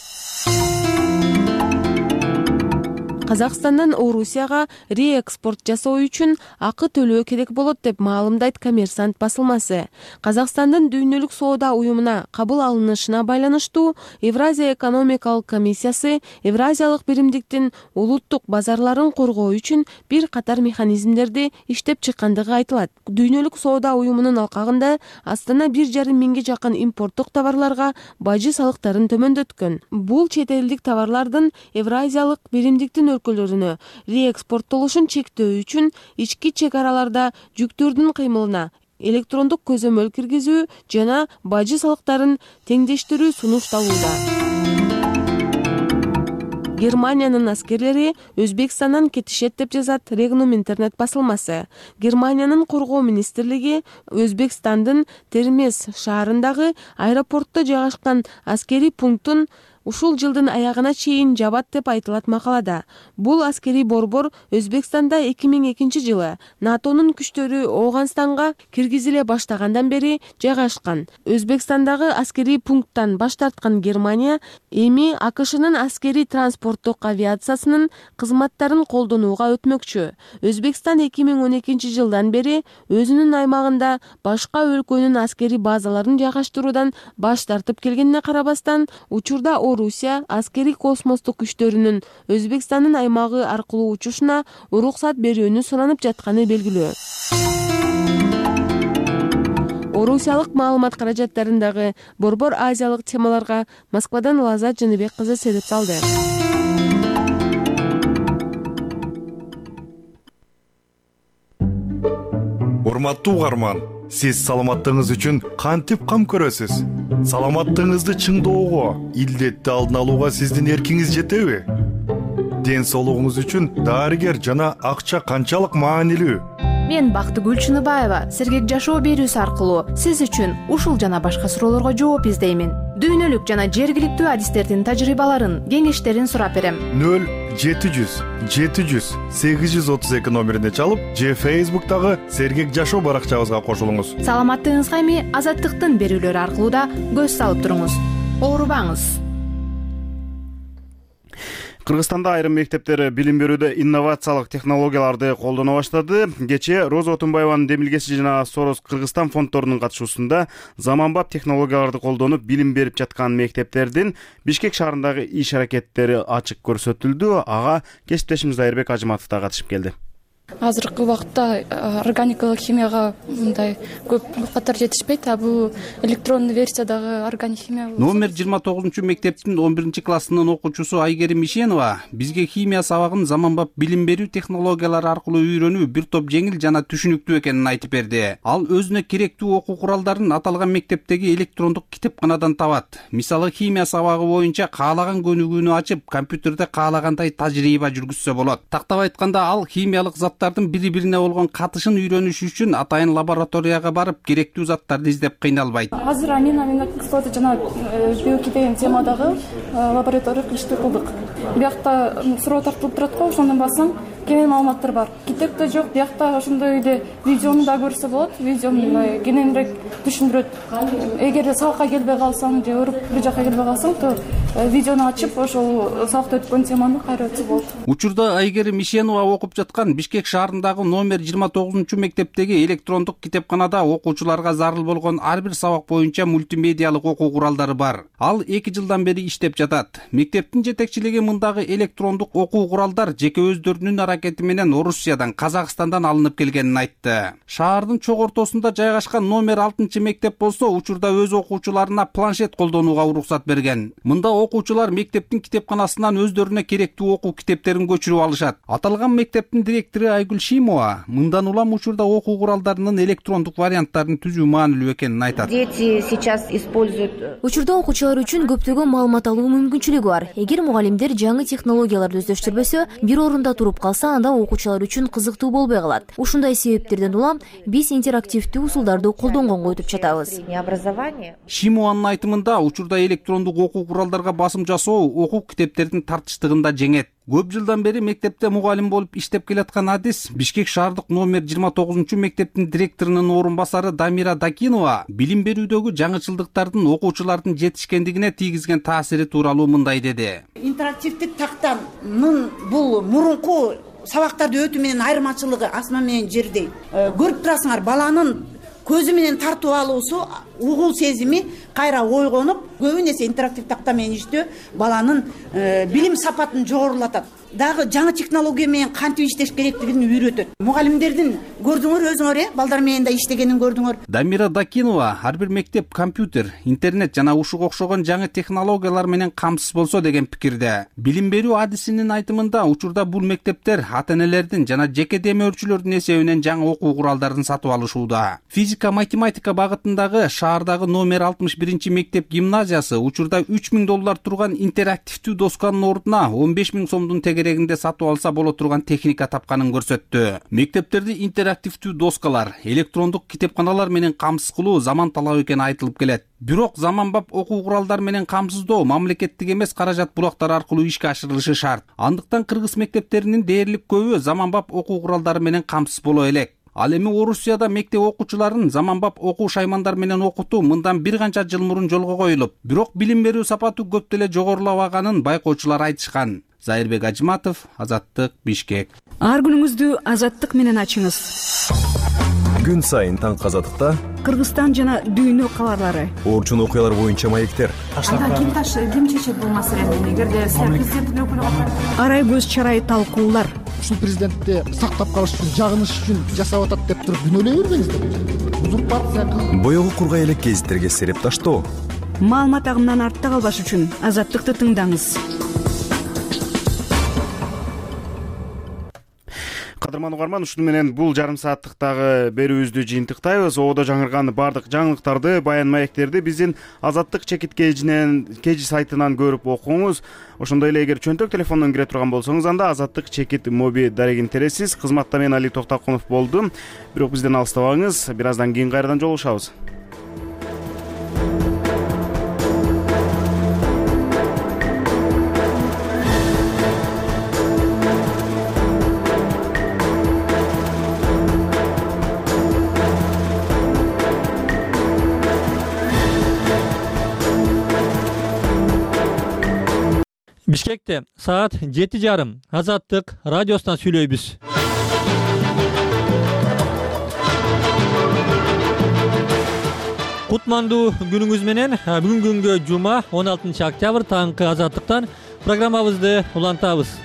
Казакстандан Орусияга реэкспорт жасоо үчүн акы төлөө керек болот деп маалымдайт Коммерсант басылмасы. Казакстандын Дүйнөлүк соода уюмуна кабыл алынышына байланыштуу Евразия экономикалык комиссиясы Евразиялык биримдиктин улуттук базарларын коргоо үчүн бир катар механизмдерди иштеп чыккандыгы айтылат. Дүйнөлүк соода уюмунун алкагында Астана 1,5 миңге жакын импорттук товарларга бажы салыктарын төмөндөткөн. Бул чет элдик товарлардын Евразиялык биримдиктин өлкөлөрүнө реэкспорттолушун чектөө үчүн ички чек араларда жүктөрдүн кыймылына электрондук көзөмөл киргизүү жана бажы салыктарын теңдештирүү сунушталууда. Германиянын аскерлери Өзбекстандан кетишет деп жазат Регнум интернет басылмасы. Германиянын коргоо министрлиги Өзбекстандын Термез шаарындагы аэропортто жайгашкан аскерий пунктун ушул жылдын аягына чейин жабат деп айтылат макалада. Бул аскерий борбор Өзбекстанда 2002-жылы НАТОнун күчтөрү Ооганстанга киргизиле баштагандан бери жайгашкан. Өзбекстандагы аскерий пункттан баш тарткан Германия эми АКШнын аскерий транспорттук авиациясынын кызматтарын колдонууга өтмөкчү. Өзбекстан 2012-жылдан бери өзүнүн аймагында башка өлкөнүн аскерий базаларын жайгаштыруудан баш тартып келгенине карабастан, учурда Орусия аскерий космостук күчтөрүнүн Өзбекстандын аймагы аркылуу учушуна уруксат берүүнү суранып жатканы белгилүү. Орусиялык маалымат каражаттарындагы борбор азиялык темаларга Москвадан Лазат Жаныбек кызы сереп салды. Урматтуу угарман, Сиз саламаттыгыңыз үчүн кантип кам көрөсүз? Саламаттыгыңызды чыңдоого, илдетти алдын алууга сиздин эркиңиз жетеби? Ден соолугуңуз үчүн дарыгер жана акча канчалык маанилүү? Мен Бактыгүл Чыныбаева сергек жашоо берүүсү аркылуу сиз үчүн ушул жана башка суроолорго жооп издеймин. Дүйнөлүк жана жергиликтүү адистердин тажрыйбаларын, кеңештерин сурап берем. 0700 700 832 номерине чалып, же Facebook'тагы сергек жашоо баракчабызга кошулуңуз. Саламаттыгыңызга эми Азаттыктын берүүлөрү аркылуу да көз салып туруңуз. Оорубаңыз. Кыргызстанда айрым мектептер билим берүүдө инновациялык технологияларды колдоно баштады. Кечээ Роза Отунбаеванын демилгеси жана Сорос Кыргызстан фонддорунун катышуусунда заманбап технологияларды колдонуп билим берип жаткан мектептердин Бишкек шаарындагы иш аракеттери ачык көрсөтүлдү. Ага кесиптешimiz Айырбек Ажыматов да катышып келди. Азыркы убакытта органикалык химияга мындай көп катар жетишпейт, а бул электрондуу версиядагы органик химия. Номер 29-мектептин 11-классынын окуучусу Айгерим Ишенова бизге химия сабагын заманбап билим берүү технологиялары аркылуу үйрөнүү бир топ жеңил жана түшүнүктүү экенин айтып берди. Ал өзүнө керектүү окуу куралдарын аталган мектептеги электрондук китепканадан табат. Мисалы, химия сабагы боюнча каалаган көнүгүүнү ачып, компьютерде каалагандай тажрыйба жүргүзсө болот. Тактап айтканда, ал химиялык бири-бирине болгон катышын үйрөнүш үчүн атайын лабораторияга барып, керектүү заттарды издеп кыйналбайт. Азыр аминокислота жана биохимия деген темадагы лабораториялык ишти кылдык. Биякта суроо тартылып турат го, ошондон бассаң кенен маалыматтар бар. Китепте жок, биякта ошондой эле видеону да көрсө болот. Видео кененирээк түшүндүрөт. Эгер сабакка келбей калсаң же өөрүп бир жака келбей калсаң, то видеону ачып, ошол сабакта өткөн теманы кайра өтсө болот. Учурда Айгерим Ишенова окуп жаткан Бишкек шаарындагы номер 29-мектептеги электрондук китепканада окуучуларга зарыл болгон ар бир сабак боюнча мультимедиалык окуу куралдары бар. Ал 2 жылдан бери иштеп жатат. Мектептин жетекчилиги мындагы электрондук окуу куралдар жеке өздөрүнүн аракети менен Орусиядан, Казакстандан алынып келгенин айтты. Шаардын чок ортосунда жайгашкан номер 6-мектеп болсо, учурда өз окуучуларына планшет колдонууга уруксат берген. Мында окуучулар мектептин китепканасынан өздөрүнө керектүү окуу китептерин көчүрүп алышат. Аталган мектептин директору Айгүл Шимова мындан улам учурда окуу куралдарынын электрондук варианттарын түзүү маанилүү экенин айтат. Дети сейчас используют. Учурда окуучулар үчүн көптөгөн маалымат алуу мүмкүнчүлүгү бар. Эгер мугалимдер жаңы технологияларды өздөштүрбөсө, бир орунда туруп калса, анда окуучулар үчүн кызыктуу болбой калат. Ушундай себептерден улам биз интерактивдүү усулдарды колдонгонго өтүп жатабыз. Шимованын айтымында, учурда электрондук окуу куралдарга басым жасоо окуу китептердин тартыштыгын да жеңет. Көп жылдан бери мектепте мугалим болуп иштеп келаткан адис Бишкек шаардык номер 29-мектептин директорунун орун басары Дамира Дакинова билим берүүдөгү жаңычылдыктардын окуучулардын жетишкендигине тийгизген таасири тууралуу мындай деди. Интерактивдик тактанын бул мурунку сабактарды өтүү менен айырмачылыгы асман менен жердей. Көрүп турасыңар, баланын көзү менен тартып алуусу, угул сезими кайра ойгонуп, көбүн эсе интерактив такта менен иштөө баланын билим сапатын жогорулатат. Дагы жаңы технология менен кантип иштеш керектигин үйрөтөт. Мугалимдердин көрдүңөр өзүңөр, балдар менен да иштегенин көрдүңөр. Дамира Дакинова ар бир мектеп компьютер, интернет жана ушуга окшогон жаңы технологиялар менен камсыз болсо деген пикирде. Билим берүү адисинин айтымында, учурда бул мектептер ата-энелердин жана жеке демөөрчүлөрдүн эсебинен жаңы окуу куралдарын сатып алышууда. Физика, математика багытындагы шаардагы номер 61-мектеп гимназиясы учурда $3000 турган интерактивдүү досканын ордуна 15.000 сомдун тегерегинде сатып алса боло турган техника тапканын көрсөттү. Мектептерди интерактивдүү доскалар, электрондук китепканалар менен камсыз кылуу заман талабы экени айтылып келет. Бирок заманбап окуу куралдар менен камсыздоо мамлекеттик эмес каражат булактары аркылуу ишке ашырылышы шарт. Андыктан кыргыз мектептеринин дээрлик көбү заманбап окуу куралдары менен камсыз боло элек. Ал эми Орусияда мектеп окуучуларын заманбап окуу шаймандар менен окутуу мындан бир канча жыл мурун жолго коюлуп, бирок билим берүү сапаты көп деле жогорулабаганын байкоочулар айтышкан. Айырбек Ажыматов, Азаттык, Бишкек. Ар күнүңүздү Азаттык менен ачыңыз. Күн сайын таңкы Азаттыкта Кыргызстан жана дүйнө кабарлары, орчун окуялар боюнча маектер. Ким чечет бул маселени? Эгерде президенттин өкүлү арай көз чарай талкуулар. Ушул президентти сактап калыш үчүн, жагыныш үчүн жасап атат деп туруп күнөөлөй бербеңиздер. Узурпация. Боёгу кургай элек гезиттерге сереп таштоо. Маалымат агымынан артта калбаш үчүн Азаттыкты тыңдаңыз. кадырман угарман, ушуну менен бул жарым сааттыктагы берүүбүздү жыйынтыктайбыз. Ободо жаңырган баардык жаңылыктарды, баян маектерди биздин Азаттык чекит кежи сайтынан көрүп окуңуз. Ошондой эле эгер чөнтөк телефондон кире турган болсоңуз, анда Азаттык чекит моби дарегин тересиз. Кызматта мен Али Токтокунов болдум. Бирок бизден алыстабаңыз, бир аздан кийин кайрадан жолугушабыз. Бишкекте саат 7:30 Азаттык радиосунан сүйлөйбүз. Кутмандуу күнүңүз менен. Бүгүнкү күнгө жума 16 октябрь таңкы Азаттыктан программабызды улантабыз.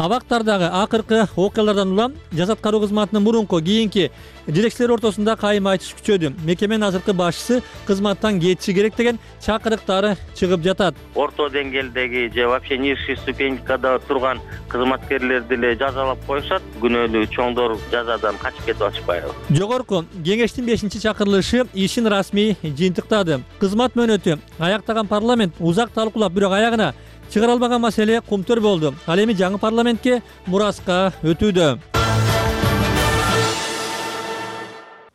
Абактардагы акыркы окуялардан улам жаз аткаруу кызматынын мурунку кийинки жетекчилер ортосунда кайым айтыш күчөдү. Мекеменин азыркы башчысы кызматтан кетиши керек деген чакырыктары чыгып жатат. Орто деңгээлдеги же вообще низший ступенькада турган кызматкерлерди эле жазалап коюшат. Күнөөлүү чоңдор жазадан качып кетип атышпайбы? Жогорку кеңештин 5-чакырылышы ишин расмий жыйынтыктады. Кызмат мөөнөтү аяктаган парламент узак талкуулап, бирок аягына чыгара албаган маселе кумтөр болду. Ал эми жаңы парламентке мураска өтүүдө.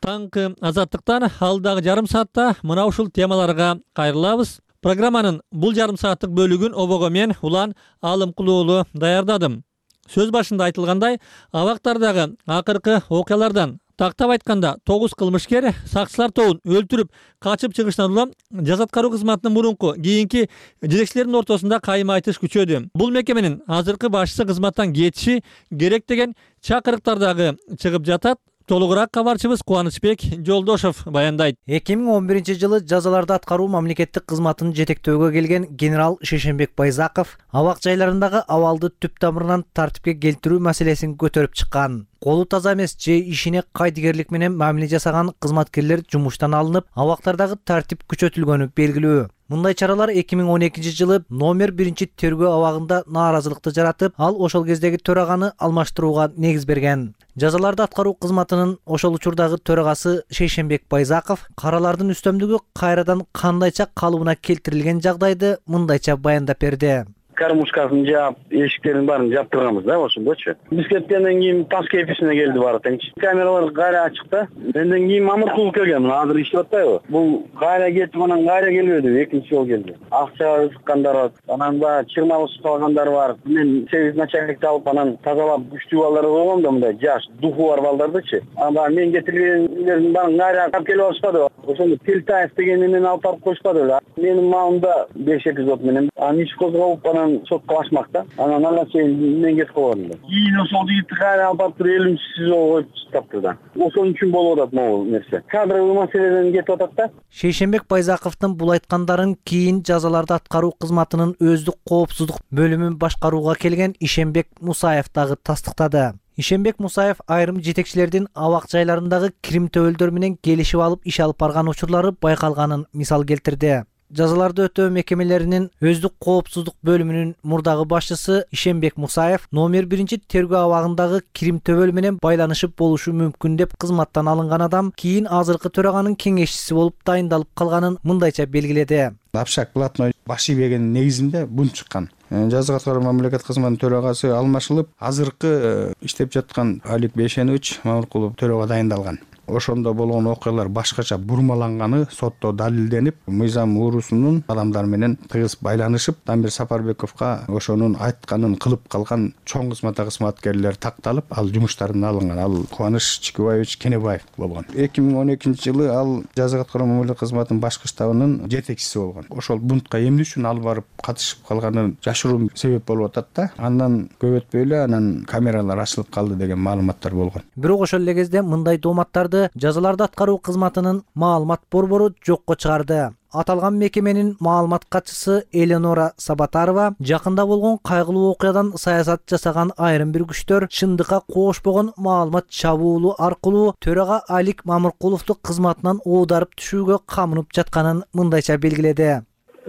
Таңкы Азаттыктан алдагы жарым саатта мына ушул темаларга кайрылабыз. Программанын бул жарым сааттык бөлүгүн обого мен Улан Алымкулуулу даярдадым. Сөз башында айтылгандай, абактардагы акыркы окуялардан тактап айтканда 9 кылмышкер сакчылар тобун өлтүрүп качып чыгышынан улам жаз аткаруу кызматынын мурунку кийинки жетекчилердин ортосунда кайым айтыш күчөдү. Бул мекеменин азыркы башчысы кызматтан кетиши керек деген чакырыктар дагы чыгып жатат. Толугураак кабарчыбыз Кубанычбек Жолдошов баяндайт. 2011-жылы жазаларды аткаруу мамлекеттик кызматын жетектөөгө келген генерал Шейшенбек Байзаков абак жайларындагы абалды түп тамырынан тартипке келтирүү маселесин көтөрүп чыккан. Колу таза эмес же ишине кайдыгерлик менен мамиле жасаган кызматкерлер жумуштан алынып, абактардагы тартип күчөтүлгөнү белгилүү. Мындай чаралар 2012-жылы номер 1 тергөө абагында нааразылыкты жаратып, ал ошол кездеги төраганы алмаштырууга негиз берген. Жазаларды аткаруу кызматынын ошол учурдагы төрагасы Шейшенбек Байзаков каралардын үстөмдүгү кайрадан кандайча калыбына келтирилген жагдайды мындайча баяндап берди. Кормушкасын жаап, эшиктерин баарын жаптырганбыз да, ошондочу. Биз кеткенден кийин таш кеписине келди баары тең. Камералар кайра ачык да. Менден кийин Мамыркулов келген, азыр иштеп атпайбы? Бул кайра кетип, анан кайра келбеди, экинчи жолу келди. Акча ыккандар бар, анан да чырмалып калгандар бар. Мен сервис начальникти алып, анан тазалап күчтүү балдар болгон да, мындай жаш, духу бар балдардычы. Анан мен кетиргендердин баарын кайра алып келип алышпады. Ошондо Телтаев дегенди мени алып барып коюшпады эле. Менин маалымда 5 эпизод менен аны иш козголуп, анан сотко башмакта. Анан ага чейин мен кетип калгам да. Кийин ошол жигитти кайра алып барып 50-сизого коюп таптыр да. Ошон үчүн болуп атат могул нерсе. Кадровый маселеден кетип атат да. Шейшенбек Байзаковдун бул айткандарын кийин жазаларды аткаруу кызматынын өздүк коопсуздук бөлүмүн башкарууга келген Ишенбек Мусаев дагы тастыктады. Ишенбек Мусаев айрым жетекчилердин абак жайларындагы кирим төбөлдөр менен келишип алып иш алып барган учурлары байкалганын мисал келтирди. Жазаларды өтөө мекемелеринин өздүк коопсуздук бөлүмүнүн мурдагы башчысы Ишенбек Мусаев номер 1 тергөө абагындагы кирим төбөл менен байланышып болушу мүмкүн деп кызматтан алынган адам кийин азыркы төраганын кеңешчиси болуп дайындалып калганын мындайча белгиледи. Абшак блатной башый берген негизинде бун чыккан. Жаза аткаруу мамлекет кызматынын төрагасы алмашылып, азыркы иштеп жаткан Алик Бейшенович Мамыркулов төрага дайындалган. Ошондо болгон окуялар башкача бурмаланганы сотто далилденип, мыйзам уурусунун адамдар менен тыгыз байланышып, Дамир Сапарбековго ошонун айтканын кылып калган чоң кызматкерлер такталып, ал жумуштардан алынган. Ал Кубаныч Чикибаевич Кенебаев болгон. 2012-жылы ал жаза аткаруу мамлекет кызматынын башкы штабынын жетекчиси болгон. Ошол бунтка эмне үчүн алып барып катышып калганы жашыруу себеп болуп атат да. Андан көп өтпөй эле анан камералар ачылып калды деген маалыматтар болгон. Бирок ошол эле кезде мындай дооматтарды жазаларды аткаруу кызматынын маалымат борбору жокко чыгарды. Аталган мекеменин маалымат катчысы Эленора Сабатарова жакында болгон кайгылуу окуядан саясат жасаган айрым бир күчтөр чындыкка коошпогон маалымат чабуулу аркылуу төрага Алик Мамыркуловду кызматынан оодарып түшүүгө камынып жатканын мындайча белгиледи.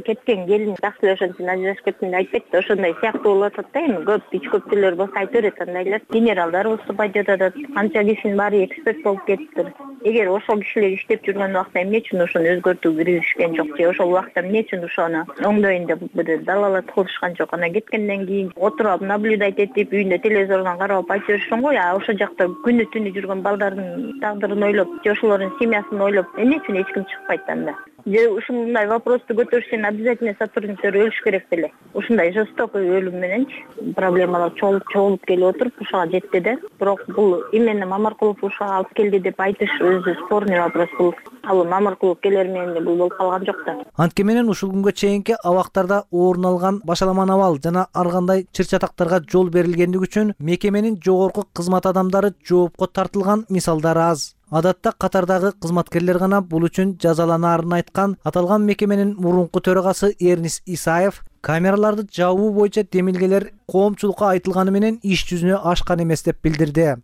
кеткен келин жакшы эле ошон үчүн ажырашып кеттим деп айтпайт да, ошондой сыяктуу болуп атат да. Эми көп ич көптүлөр болсо айтып берет андайлар. Генералдар выступать этип атат, канча кишинин баары эксперт болуп кетиптир. Эгер ошол кишилер иштеп жүргөн убакта эмне үчүн ошону өзгөртүүгө киришкен жок же ошол убакта эмне үчүн ошону оңдойн деп бир далалатып кылышкан жок. Анан кеткенден кийин отуруп алып наблюдать этип, үйүндө телевизордон карап айтып беришкен го. А ошол жакта күнү түнү жүргөн балдардын тагдырын ойлоп, же ошолордун семьясын ойлоп, эмне үчүн эч ким чыкпайт анда? Же ушундай вопросту көтөрүш үчүн обязательно сотрудниктер өлүш керек беле? Ушундай жестокий өлүм мененчи проблемалар чогулуп келип отуруп ушуга жетти да. Бирок бул именно Мамаркулов ушуга алып келди деп айтыш өзү спорный вопрос. Бул ал Мамаркулов келер менен бул болуп калган жок да. Антке менен ушул күнгө чейинки абактарда орун алган башаламан абал жана ар кандай чыр-чатактарга жол берилгендиги үчүн мекеменин жогорку кызмат адамдары жоопко тартылган мисалдар аз. Адатта катардагы кызматкерлер гана бул үчүн жазаланаарын айткан аталган мекеменин мурунку төрагасы Эрнис Исаев камераларды жабуу боюнча демилгелер коомчулукка айтылганы менен иш жүзүнө ашкан эмес деп билдирди.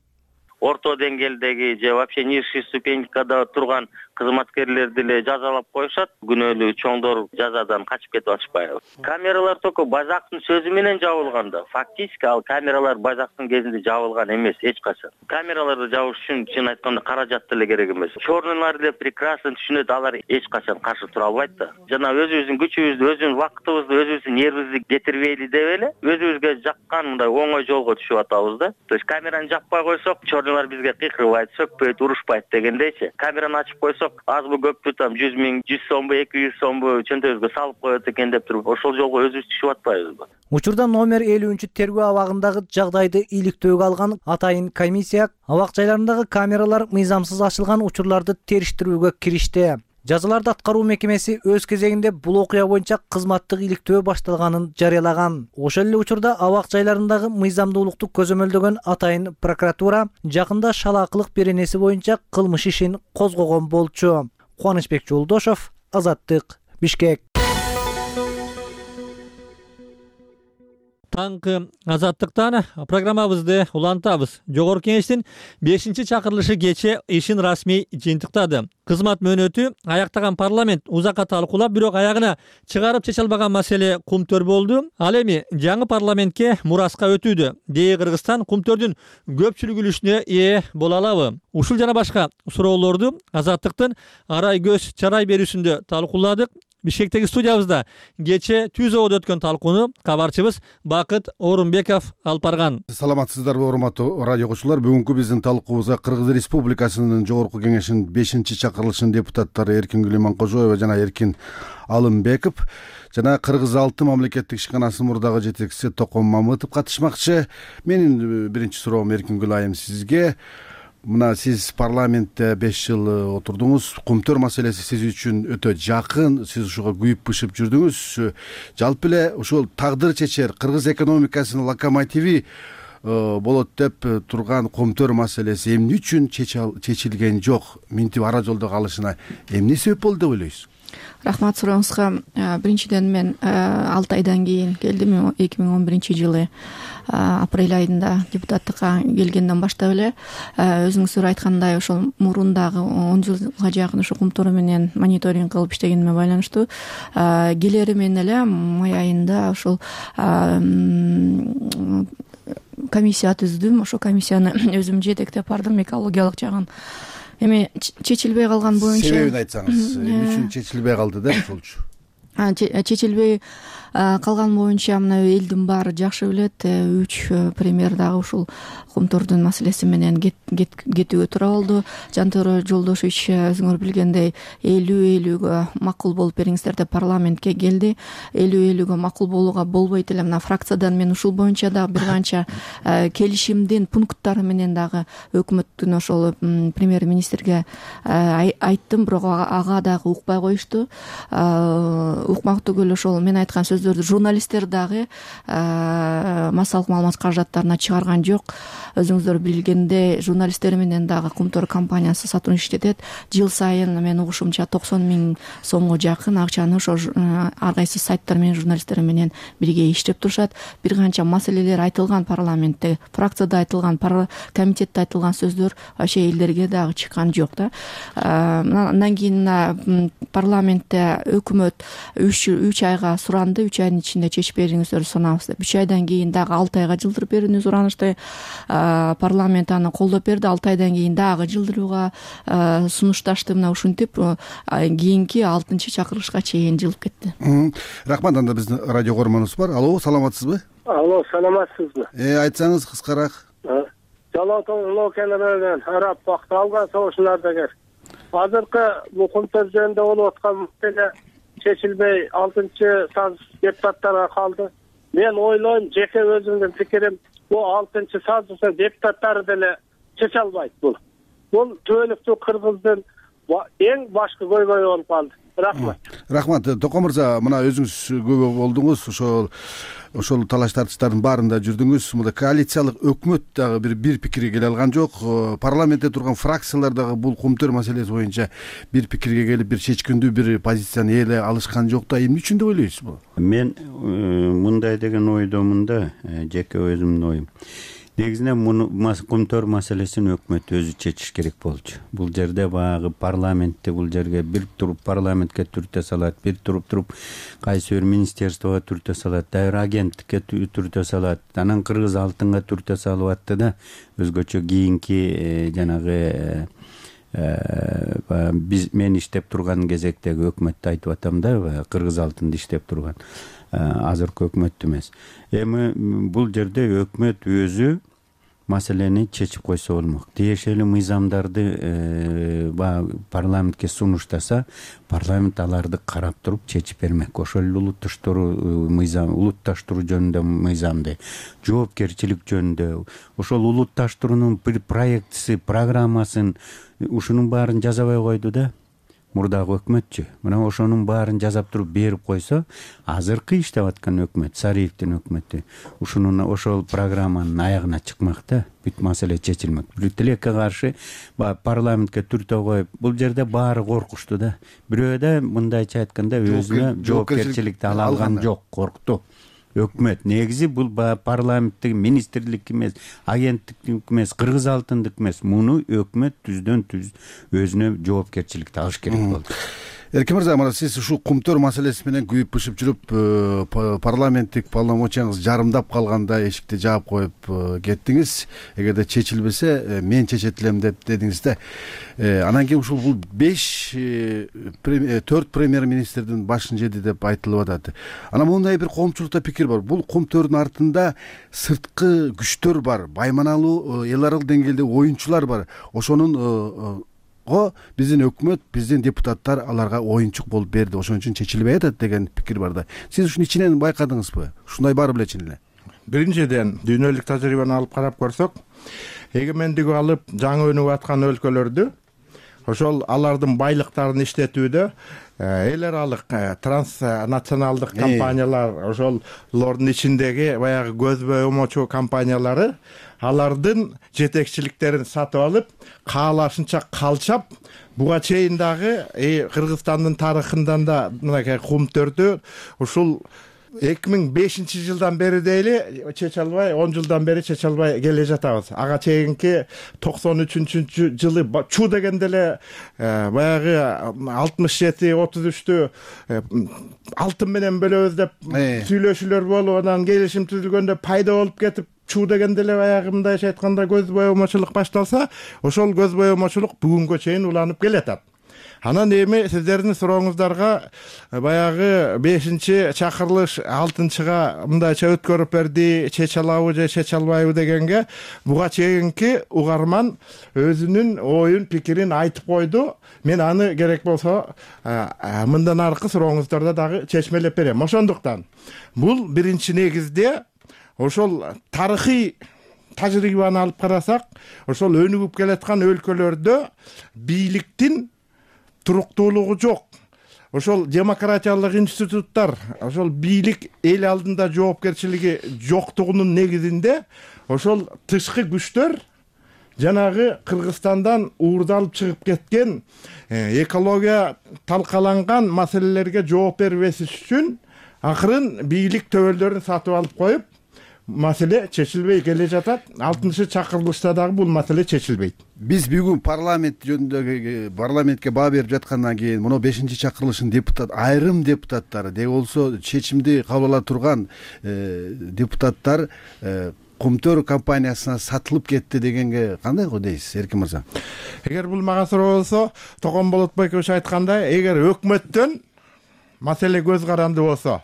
Орто деңгээлдеги же вообще низший ступенькада турган кызматкерлерди эле жазалап коюшат. Күнөөлүү чоңдор жазадан качып кетип атышпайбы? Камералар только Байзактын сөзү менен жабылган да. Фактически ал камералар Байзактын кезинде жабылган эмес эч качан. Камераларды жабыш үчүн чын айтканда каражат деле керек эмес. Черныйлар деле прекрасно түшүнөт, алар эч качан каршы тура албайт да. Жана өзүбүздүн күчүбүздү, өзүбүздүн убактыбызды, өзүбүздүн нервибизди кетирбейли деп эле өзүбүзгө жаккан мындай оңой жолго түшүп атабыз да. То есть камераны жаппай койсок, черныйлар бизге кыйкырбайт, сөкпөйт, урушпайт дегендейчи. Камераны ачып койсок, азбы көппү там 100 000, 100 сомбу, 200 сомбу чөнтөбүзгө салып коет экен деп туруп, ошол жолго өзүбүз түшүп атпайбызбы? Учурда номер 53-тергөө абагындагы жагдайды иликтөөгө алган атайын комиссия абак жайларындагы камералар мыйзамсыз ачылган учурларды териштирүүгө киришти. Жазаларды аткаруу мекемеси өз кезегинде бул окуя боюнча кызматтык иликтөө башталганын жарыялаган. Ошол эле учурда абак жайларындагы мыйзамдуулукту көзөмөлдөгөн атайын прокуратура жакында шалаакылык беренеси боюнча кылмыш ишин козгогон болчу. Кубанычбек Жолдошов, Азаттык, Бишкек. Таңкы Азаттыктан программабызды улантабыз. Жогорку кеңештин 5-чакырылышы кече ишин расмий жыйынтыктады. Кызмат мөөнөтү аяктаган парламент узакка талкуулап, бирок аягына чыгарып чече албаган маселе кумтөр болду. Ал эми жаңы парламентке мураска өтүүдө. Дээ Кыргызстан кумтөрдүн көпчүлүк үлүшүнө ээ боло алабы? Ушул жана башка суроолорду Азаттыктын арай көз чарай берүүсүндө талкууладык. Бишкектеги студиябызда кече Түзөбөдө өткөн талкууну кабарчыбыз Бакыт Орунбеков алып барган. Саламатсыздарбы, урматтуу радио окуучулар. Бүгүнкү биздин талкуубузга Кыргыз Республикасынын Жогорку кеңешинин 5-чакырылышынын депутаттары Эркингүл Иманкожоева жана Эркин Алымбеков жана Кыргыз Алты мамлекеттик ишканасынын мурдагы жетекчиси Токон Мамытов катышмакчы. Менин биринчи суроом Эркингүл айым сизге. Мына сиз парламентте 5 жыл отурдуңуз. Кумтөр маселеси сиз үчүн өтө жакын, сиз ушуга күйүп бышып жүрдүңүз. Жалпы эле ушул тагдыр чечер кыргыз экономикасынын локомотиви болот деп турган кумтөр маселеси эмне үчүн чечилген жок? Минтип ара жолдо калышына эмне себеп болду деп ойлойсуз? Рахмат сурооңузга. Биринчиден мен 6 айдан кийин келдим. 2011-жылы апрель айында депутаттыкка келгенден баштап эле өзүңүздөр айткандай ошол мурундагы 10 жылга жакын ушу кумтөр менен мониторинг кылып иштегениме байланыштуу келери менен эле май айында ошол комиссия түздүм. Ошол комиссияны өзүм жетектеп бардым, экологиялык жагын. Эми чечилбей калган боюнча себебин айтсаңыз, эмне үчүн чечилбей калды да ошолчу? Чечилбей калган боюнча мына элдин баары жакшы билет. 3 премьер дагы ушул кумтөрдүн маселеси менен кетүүгө туура болду. Жантөре Жолдошевич өзүңөр билгендей 50-50гө макул болуп бериңиздер деп парламентке келди. 50-50гө макул болууга болбойт эле. Мына фракциядан мен ушул боюнча дагы бир канча келишимдин пункттары менен дагы өкмөттүн ошол премьер-министрге айттым, бирок ага дагы укпай коюшту. Укмак түгүл ошол мен айткан сөздөрдү журналисттер дагы массалык маалымат каражаттарына чыгарган жок. Өзүңүздөр билгендей журналисттер менен дагы кумтөр компаниясы сотрудничать этет. Жыл сайын мен угушумча 90 000 сомго жакын акчаны ошо ар кайсы сайттар менен журналисттер менен бирге иштеп турушат. Бир канча маселелер айтылган парламентте, фракцияда айтылган, комитетте айтылган сөздөр вообще элдерге дагы чыккан жок да. Андан кийин парламентте өкмөт үч айга суранды, 3 айдын ичинде чечип бериңиздерди суранабыз деп. 3 айдан кийин дагы 6 айга жылдырып берүүнү суранышты. Парламент аны колдоп берди. 6 айдан кийин дагы жылдырууга сунушташты. Мына ушинтип кийинки 6-чакырылышка чейин жылып кетти. Рахмат. Анда биздин радио көрмөнүбүз бар. Алло, саламатсызбы? Алло, саламатсызбы? Айтсаңыз кыскараак. Жалоотун локелерден арап бакты алган согушчулардагы азыркы бул кумтөр жөнүндө болуп аткан маселе чечилбей 6-саз депутаттарга калды. Мен ойлойм, жеке өзүмдүн пикирим, бул 6-сазды депутаттары деле чече албайт бул. Бул түбөлүктүү кыргыздын эң башкы көйгөйү болуп калды. Рахмат. Токо мырза, мына өзүңүз күбө болдуңуз, ошол талаш тартыштардын баарында жүрдүңүз. Мында коалициялык өкмөт дагы бир пикирге келе алган жок. Парламентте турган фракциялар дагы бул кумтөр маселеси боюнча бир пикирге келип, бир чечкиндүү бир позицияны ээлей алышкан жок да. Эмне үчүн деп ойлойсузбу? Мен мындай деген ойдомун да, жеке өзүмдүн оюм. Негизинен муну кумтөр маселесин өкмөт өзү чечиш керек болчу. Бул жерде баягы парламентте бул жерге бир туруп парламентке түртө салат, бир туруп кайсы бир министерствого түртө салат, дайыр агенттикке түртө салат, анан кыргыз алтынга түртө салып атты да, өзгөчө кийинки жанагы мен иштеп турган кезектеги өкмөттү айтып атам да, кыргыз алтынды иштеп турган азыркы өкмөттү эмес. Эми бул жерде өкмөт өзү маселени чечип койсо болмок. Тиешелүү мыйзамдарды парламентке сунуштаса, парламент аларды карап туруп чечип бермек. Ошол эле улутташтыруу жөнүндө мыйзамды, жоопкерчилик жөнүндө, ошол улутташтыруунун бир проектиси, программасын, ушунун баарын жазабай койду да. Мурдагы өкмөтчү. Мына ошонун баарын жазап туруп берип койсо, азыркы иштеп аткан өкмөт, Сариевдин өкмөтү ошол программанын аягына чыкмак да, бүт маселе чечилмек. Тилекке каршы парламентке түртө коюп, бул жерде баары коркушту да. Бирөө да мындайча айтканда өзүнө жоопкерчиликти ала алган жок, коркту. Өкмөт негизи бул парламенттик министрлик эмес, агенттик эмес, кыргыз алтындык эмес. Муну өкмөт түздөн-түз өзүнө жоопкерчиликти алыш керек болду. Эркин мырза, мына сиз ушул кумтөр маселеси менен күйүп-бышып жүрүп, парламенттик полномочияңыз жарымдап калганда эшикти жаап коюп кеттиңиз. Эгерде чечилбесе, мен чечет элем деп дедиңиз да. Анан кийин ушул бул 4 премьер-министрдин башын жеди деп айтылып атат. Анан мындай бир коомчулукта пикир бар. Бул кумтөрдүн артында сырткы күчтөр бар, байманалуу эл аралык деңгээлде оюнчулар бар. Ошонун биздин өкмөт, биздин депутаттар аларга оюнчук болуп берди, ошон үчүн чечилбей атат деген пикир бар да. Сиз ушуну ичинен байкадыңызбы? Ушундай баары беле чын эле? Биринчиден, дүйнөлүк тажрыйбаны алып карап көрсөк, эгемендиги алып жаңы өнүгүп аткан өлкөлөрдү, ошол алардын байлыктарын иштетүүдө эл аралык транснационалдык компаниялар, ошолордун ичиндеги баягы көзбөй омочу компаниялары алардын жетекчиликтерин сатып алып, каалашынча калчап, буга чейин дагы Кыргызстандын тарыхынан да мынакей кумтөрдү ушул 2005-жылдан бери дейли чече албай, 10 жылдан бери чече албай келе жатабыз. Ага чейинки 93-жылы чу дегенде эле баягы 67-33тү алтын менен бөлөбүз деп сүйлөшүүлөр болуп, анан келишим түзүлгөндө пайда болуп кетип, чу дегенде эле баягы мындайча айтканда көз боемочулук башталса, ошол көз боемочулук бүгүнгө чейин уланып келатат. Анан эми сиздердин сурооңуздарга баягы 5-чакырылыш 6-га мындайча өткөрүп берди, чече алабы же чече албайбы дегенге буга чейинки угарман өзүнүн оюн, пикирин айтып койду. Мен аны керек болсо мындан аркы сурооңуздарда дагы чечмелеп берем. Ошондуктан бул биринчи негизде ошол тарыхый тажрыйбаны алып карасак, ошол өнүгүп келаткан өлкөлөрдө бийликтин туруктуулугу жок. Ошол демократиялык институттар, ошол бийлик эл алдында жоопкерчилиги жоктугунун негизинде ошол тышкы күчтөр жанагы Кыргызстандан уурдалып чыгып кеткен экология талкаланган маселелерге жооп бербеш үчүн акырын бийлик төбөлдөрүн сатып алып коюп, маселе чечилбей келе жатат. 6-чакырылышта дагы бул маселе чечилбейт. Биз бүгүн парламент жөнүндө парламентке баа берип жаткандан кийин мына 5-чакырылыштын айрым депутаттары де болсо чечимди кабыл ала турган депутаттар Кумтөр компаниясына сатылып кетти дегенге кандай дейсиз, Эркин мырза? Эгер бул мага суроо болсо, Токон Болотбекович айткандай, эгер өкмөттөн маселе көз каранды болсо,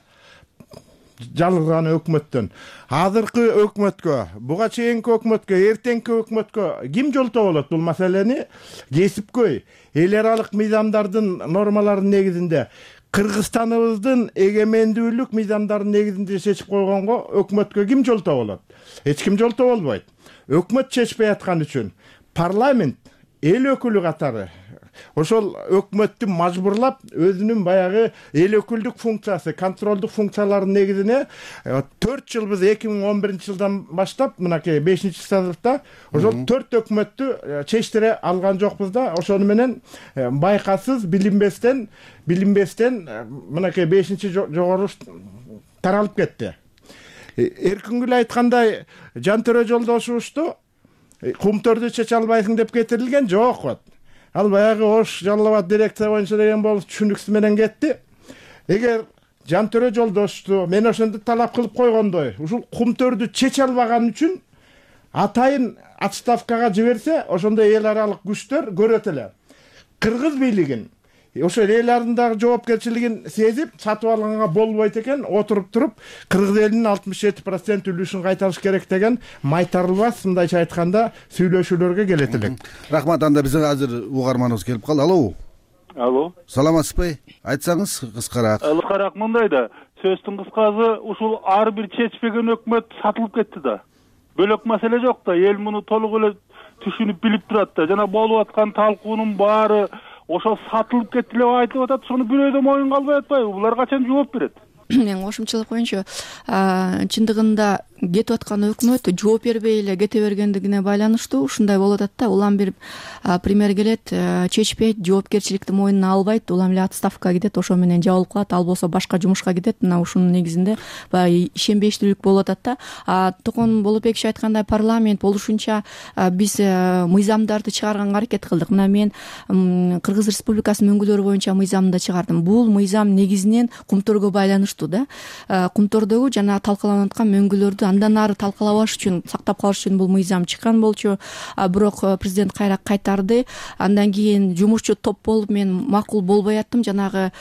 жалгырган өкмөттөн азыркы өкмөткө, буга чейинки өкмөткө, эртеңки өкмөткө ким жолтоо болот бул маселени? Кесипкөй, эл аралык мыйзамдардын нормаларынын негизинде, Кыргызстаныбыздын эгемендүүлүк мыйзамдарынын негизинде чечип койгонго өкмөткө ким жолтоо болот? Эч ким жолтоо болбойт. Өкмөт чечпей аткан үчүн парламент эл өкүлү катары ошол өкмөттү мажбурлап өзүнүн баягы эл өкүлдүк функциясы, контролдук функцияларынын негизине 4 жыл биз 2011-жылдан баштап мынакей 5-созывда ошол 4 өкмөттү чечтире алган жокпуз да, ошону менен байкасыз, билинбестен мынакей 5-жогору таралып кетти. Эркингүл айткандай, Жантөрө Жолдошубузду Кумтөрдү чече албайсың деп кетирилген жок вот. Ал баягы Ош Жалал Абад дирекция боюнча деген болуп түшүнүксүз менен кетти. Эгер Жантөрө Жолдошту мен ошондо талап кылып койгондой, ушул Кумтөрдү чече албаган үчүн атайын отставкага жиберсе, ошондо эл аралык күчтөр көрөт эле. Кыргыз бийлигин ошо эл арасындагы жоопкерчилигин сезип сатып алганга болбойт экен, отуруп туруп кыргыз элинин 67% үлүшүн кайтарыш керек деген майтарылбас, мындайча айтканда, сүйлөшүүлөргө келет элек. Рахмат. Анда бизге азыр угарманыбыз келип калды. Алло. Алло. Саламатсызбы? Айтсаңыз кыскараак. Кыскараак мындай да, сөздүн кыскасы ушул ар бир чечпеген өкмөт сатылып кетти да. Бөлөк маселе жок да, эл муну толук эле түшүнүп билип турат да. Жана болуп аткан талкуунун баары ошол сатылып кетти деп айтып атат. Сону бирөө да моюнга албай атпайбы? Булар качан жооп берет? Мен кошумчалап коеюнчу, чындыгында кетип аткан өкмөт жооп бербей эле кете бергендигине байланыштуу ушундай болуп атат да. Улам бир пример келет, чечпейт, жоопкерчиликти мойнуна албайт, улам эле отставкага кетет, ошо менен жабылып калат, ал болсо башка жумушка кетет. Мына ушунун негизинде баягы ишенбештүүлүк болуп атат да. Токон Болотбекович айткандай, парламент болушунча биз мыйзамдарды чыгарганга аракет кылдык. Мына мен Кыргыз Республикасынын өңгөлөрү боюнча мыйзамды чыгардым. Бул мыйзам негизинен Кумтөргө байланыштуу да. Кумтөрдөгү жана талкаланып аткан өңгөлөрдү андан ары талкалабаш үчүн, сактап калыш үчүн бул мыйзам чыккан болчу. Бирок президент кайра кайтарды. Андан кийин жумушчу топ болуп мен макул болбой аттым, жанагы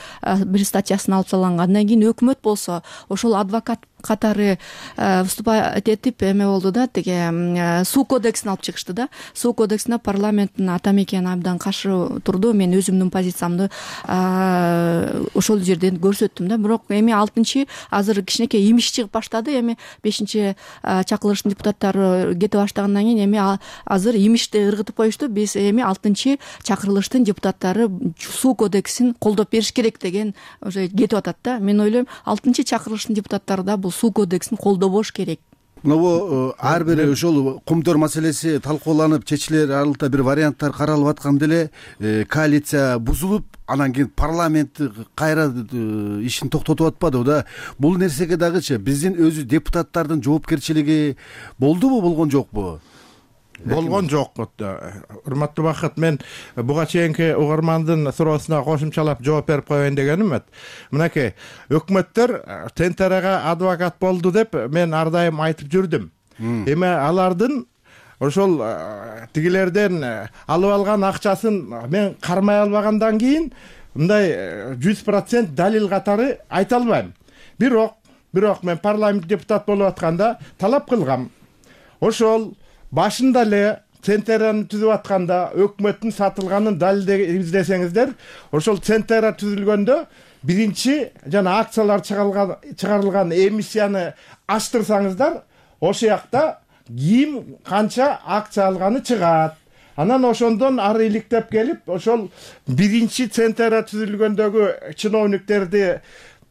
бир статьясын алып салганга. Андан кийин өкмөт болсо ошол адвокат катары выступать этип эме болду да, тиги суу кодексин алып чыгышты да. Суу кодексине парламенттин ата мекени абдан каршы турду. Мен өзүмдүн позициямды ошол жерден көрсөттүм да. Бирок эми 6-чы азыр кичинекей имиш чыгып баштады. Эми 5-чакырылыштын депутаттары кете баштагандан кийин эми азыр имишти ыргытып коюшту. Биз эми 6-чакырылыштын депутаттары суу кодексин колдоп бериш керек деген уже кетип атат да. Мен ойлойм, 6-чакырылыштын депутаттары да суу кодексин колдобош керек. Мына ар бир ошол Кумтөр маселеси талкууланып чечилер аралыкта бир варианттар каралып атканда эле коалиция бузулуп, анан кийин парламент кайра ишин токтотуп атпадыбы да. Бул нерсеге дагычы биздин өзү депутаттардын жоопкерчилиги болдубу, болгон жокпу? Болгон жок. Урматтуу Бакыт, мен буга чейинки угармандын суроосуна кошумчалап жооп берип коеюн дегеним. Мынакей, өкмөттөр Тентерага адвокат болду деп мен ар дайым айтып жүрдүм. Эми алардын ошол тигилерден алып алган акчасын мен кармай албагандан кийин мындай 100% далил катары айта албайм. Бирок мен парламент депутат болуп атканда талап кылгам. Ошол башында эле Центераны түзүп атканда өкмөттүн сатылганын далилдеп издесеңиздер, ошол Центера түзүлгөндө биринчи жана акциялар чыгарылган эмиссияны ачтырсаңыздар, ошол жакта ким канча акция алганы чыгат. Анан ошондон ары иликтеп келип, ошол биринчи Центера түзүлгөндөгү чиновниктерди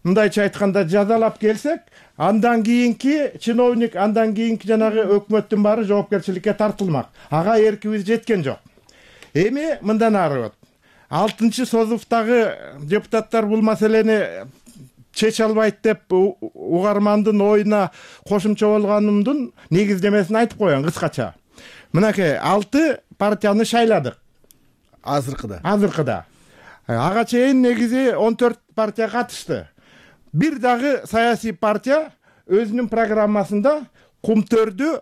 мындайча айтканда жазалап келсек, андан кийинки чиновник, андан кийинки жанагы өкмөттүн баары жоопкерчиликке тартылмак. Ага эркибиз жеткен жок. Эми мындан ары 6-созувдагы депутаттар бул маселени чече албайт деп угармандын оюна кошумча болгонумдун негиздемесин айтып коеюн кыскача. Мынакей 6 партияны шайладык азыркыда. Ага чейин негизи 14 партия катышты. Бир дагы саясий партия өзүнүн программасында кумтөрдү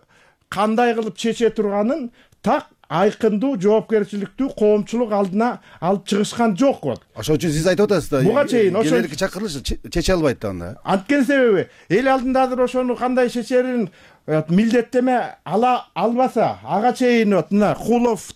кандай кылып чече турганын так айкындуу жоопкерчиликтүү коомчулук алдына алып чыгышкан жок. Ошон үчүн сиз айтып атасыз да. Буга чейин келелики чакырылыш чече албайт да анда. Анткени себеби эл алдында азыр ошону кандай чечерин милдеттеме албаса, ага чейин мына Кулов,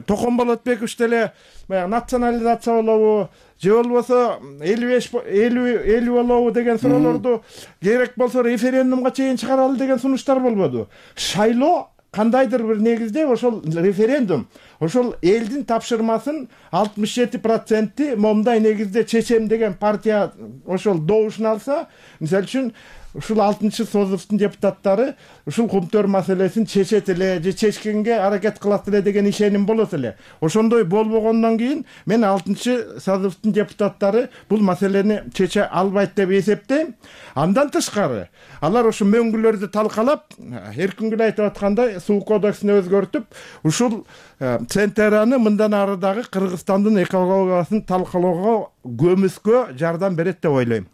Токомболотбеков деле национализация болобу, же болбосо 50 болобу деген суроолорду керек болсо референдумга чейин чыгаралы деген сунуштар болбоду. Шайлоо кандайдыр бир негизде ошол референдум ошол элдин тапшырмасын 67% момундай негизде чечем деген партия ошол добушун алса, мисалы үчүн ушул 6-созувдун депутаттары ушул кумтөр маселесин чечет эле же чечкенге аракет кылат эле деген ишеним болот эле. Ошондой болбогондон кийин мен 6-созувдун депутаттары бул маселени чече албайт деп эсептейм. Андан тышкары алар ошо мөңгүлөрдү талкалап, эркингүл айтып аткандай суу кодексин өзгөртүп, ушул Центераны мындан ары дагы Кыргызстандын экологиясын талкалоого көмүскө жардам берет деп ойлойм.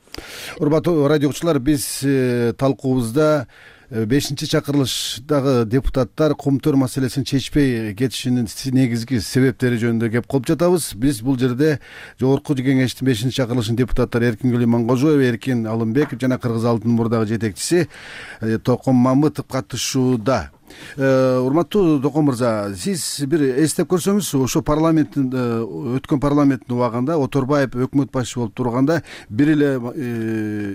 Урматтуу радио угуучулар, биз талкуубузда 5-чакырылыштагы депутаттар кумтөр маселесин чечпей кетишинин негизги себептери жөнүндө кеп кылып жатабыз. Биз бул жерде жогорку кеңештин 5-чакырылышынын депутаттары Эркингүл Иманкожоева, Эркин Алымбеков жана Кыргыз Алтын мурдагы жетекчиси Током Мамытов катышууда. Урматтуу Током мырза, сиз бир эстеп көрсөңүз, ошо парламенттин өткөн парламенттин убагында Оторбаев өкмөт башчы болуп турганда бир эле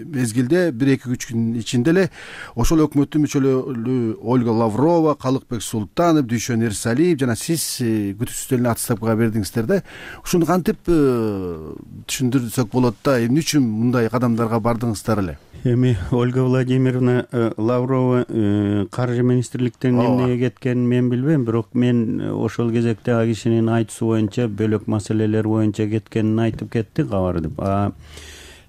мезгилде 1-2 күн ичинде эле ошол өкмөттүн мүчөлөрү Ольга Лаврова, Калыкбек Султанов, Дүйшөн Эрсалиев жана сиз күтүүчүлөрүн отставкага бердиңиздер да. Ушуну кантип түшүндүрсөк болот да, эмне үчүн мындай кадамдарга бардыңыздар эле? Эми Ольга Владимировна Лаврова каржы министрликтен эмнеге кеткенин мен билбейм, бирок мен ошол кезекте ал кишинин айтуусу боюнча бөлөк маселелер боюнча кеткенин айтып кетти кабарды.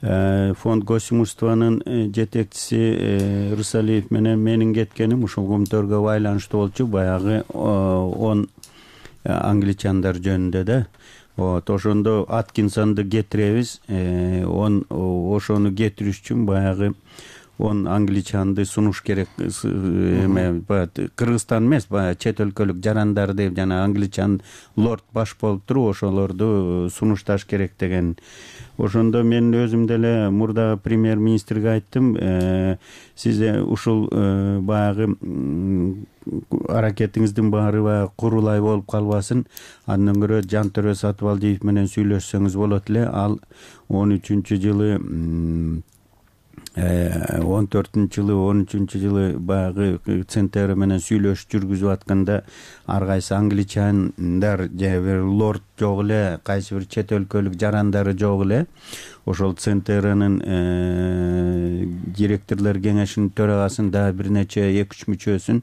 Фонд госимуществонун жетекчиси Рысалиев менен менин кеткеним ушул кумтөргө байланыштуу болчу, баягы 10 англичандар жөнүндө да. Ошондо Аткинсонду кетиребиз, ошону кетириш үчүн баягы 10 англичанды сунуш керек. Кыргызстан эмес, баягы чет өлкөлүк жарандар деп жана англичан лорд баш болуп туруп ошолорду сунушташ керек деген. Ошондо мен өзүм деле мурда премьер-министрге айттым, сиз ушул баягы аракетиңиздин баары баягы курулай болуп калбасын, андан көрө Жантөрө Сатыбалдиев менен сүйлөшсөңүз болот эле. Ал 13-жылы 13-жылы баягы Центер менен сүйлөшүп жүргүзүп атканда ар кайсы англичандар же бир лорд жок эле, кайсы бир чет өлкөлүк жарандары жок эле. Ошол Центеранын директорлор кеңешинин төрагасынын дагы бир нече 2-3 мүчөсүн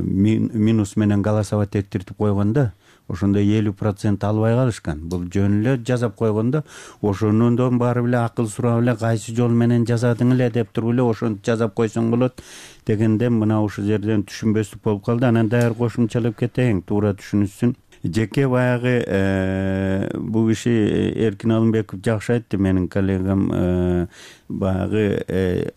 минус менен голосовать эттиртип койгондо, ошондо 50% албай калышкан. Бул жөн эле жазап койгондо, ошондон баары эле акыл сурап эле кайсы жол менен жазадың эле деп туруп эле ошентип жазап койсоң болот дегенде мына ушул жерден түшүнбөстүк болуп калды. Анан даяр кошумчалап кетейин, туура түшүнүшсүн. Жеке баягы бул киши Эркин Алымбеков жакшы айтты, менин коллегам, баягы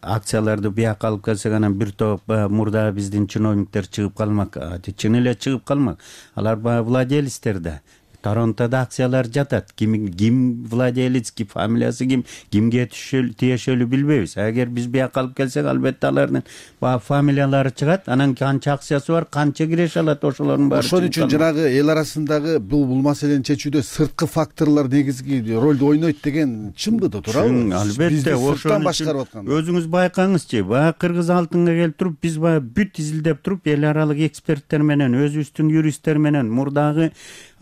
акцияларды бияка алып келсек анан бир топ мурда биздин чиновниктер чыгып калмак. Чын эле чыгып калмак. Алар баягы владелецтер да. Торонтодо акциялар жатат. Ким владелец, ким фамилиясы кимге тиешелүү билбейбиз. Эгер биз бияка алып келсек, албетте алардын баягы фамилиялары чыгат. Анан канча акциясы бар, канча киреше алат, ошолордун баары. Ошон үчүн жанагы эл арасындагы бул маселени чечүүдө сырткы факторлор негизги ролду ойнойт деген чынбы да, туурабы? Албетте, ошон үчүн өзүңүз байкаңызчы, баягы Кыргыз Алтынга келип туруп, биз баягы бүт изилдеп туруп, эл аралык эксперттер менен, өзүбүздүн юристтер менен, мурдагы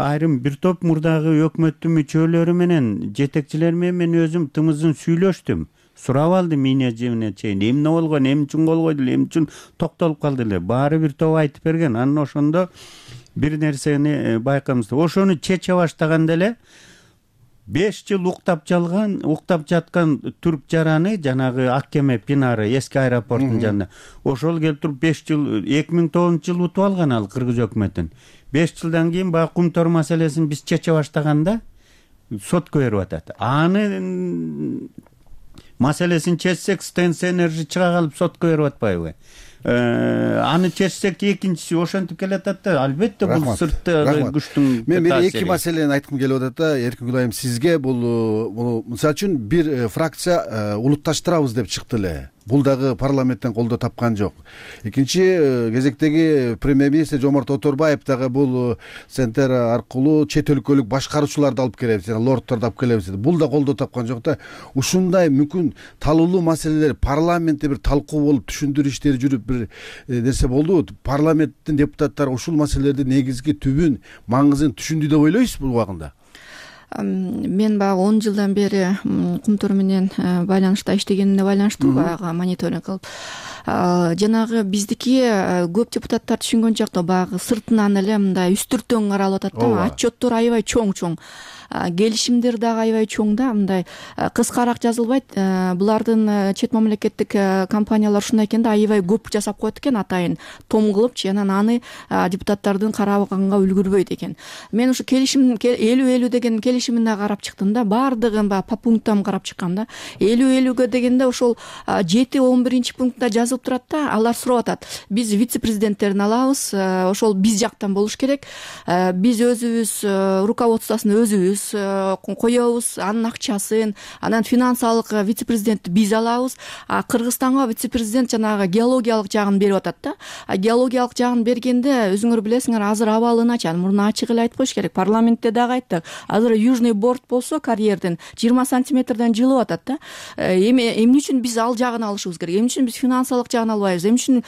айрым бир топ мурдагы өкмөттүн мүчөлөрү менен, жетекчилер менен өзүм тымызын сүйлөштүм. Сурап алдым эмне чейин, эмне болгон, эмне үчүн кол койду эле, эмне үчүн токтолуп калды эле. Баары бир топ айтып берген. Анан ошондо бир нерсени байкамыз. Ошону чече баштаганда эле 5 жыл уктап жаткан түрк жараны, жанагы Ак кеме Пинары эски аэропорттун жанында. Ошол келип туруп 5 жыл 2009-жылы утуп алган ал кыргыз өкмөтүн. 5 жылдан кийин баягы кумтор маселесин биз чече баштаганда сотко берип атат. Аны маселесин чечсек Stens Energy чыга калып сотко берип атпайбы? Аны чечсек экинчиси ошентип келатат да. Албетте бул сырттагы күчтүн. Мен эки маселени айткым келип атат да. Эркин Гүлайым, сизге бул мисалы үчүн бир фракция улутташтырабыз деп чыкты эле. Бул дагы парламенттен колдоо тапкан жок. Экинчи кезектеги премьер-министр Жомарт Оторбаев дагы бул центр аркылуу чет өлкөлүк башкаруучуларды алып келебиз, лордторду алып келебиз деди. Бул да колдоо тапкан жок да. Ушундай мүмкүн талуулуу маселелер парламентте бир талкуу болуп, түшүндүрүү иштери жүрүп бир нерсе болдубу? Парламенттин депутаттары ушул маселелердин негизги түбүн, маңызын түшүндү деп ойлойсузбу бул убагында? Мен баягы 10 жылдан бери кумтор менен байланышта иштегенине байланыштуу баягы мониторинг кылып, жанагы биздики көп депутаттар түшүнгөн жакта баягы сыртынан эле мындай үстүртөн каралып атат да. Отчеттор аябай чоң. Келишимдер дагы аябай чоң да, мындай кыскараак жазылбайт. Булардын чет мамлекеттик компаниялар ушундай экен да, аябай көп жасап коет экен, атайын том кылыпчы, анан аны депутаттардын карабаганга үлгүрбөйт экен. Мен ушу келишим 50-50 деген келишимин да карап чыктым да, баардыгын по пунктам карап чыккам да. 50-50гө дегенде ошол 7-11 пунктта жазылып турат да, алар сурап атат. Биз вице-президенттерин алабыз, ошол биз жактан болуш керек. Биз өзүбүз руководствосун өзүбүз коебуз, анын акчасын, анан финансылык вице-президентти биз алабыз. Кыргызстанга вице-президент жанагы геологиялык жагын берип атат да. Геологиялык жагын бергенде өзүңөр билесиңер, азыр абалы начар. Мурун ачык эле айтып коюш керек. Парламентте дагы айттык. Азыр южный борт болсо карьерден 20 сантиметрден жылып атат да. Эмне үчүн биз ал жагын алышыбыз керек? Эмне үчүн биз финансылык жагын албайбыз? Эмне үчүн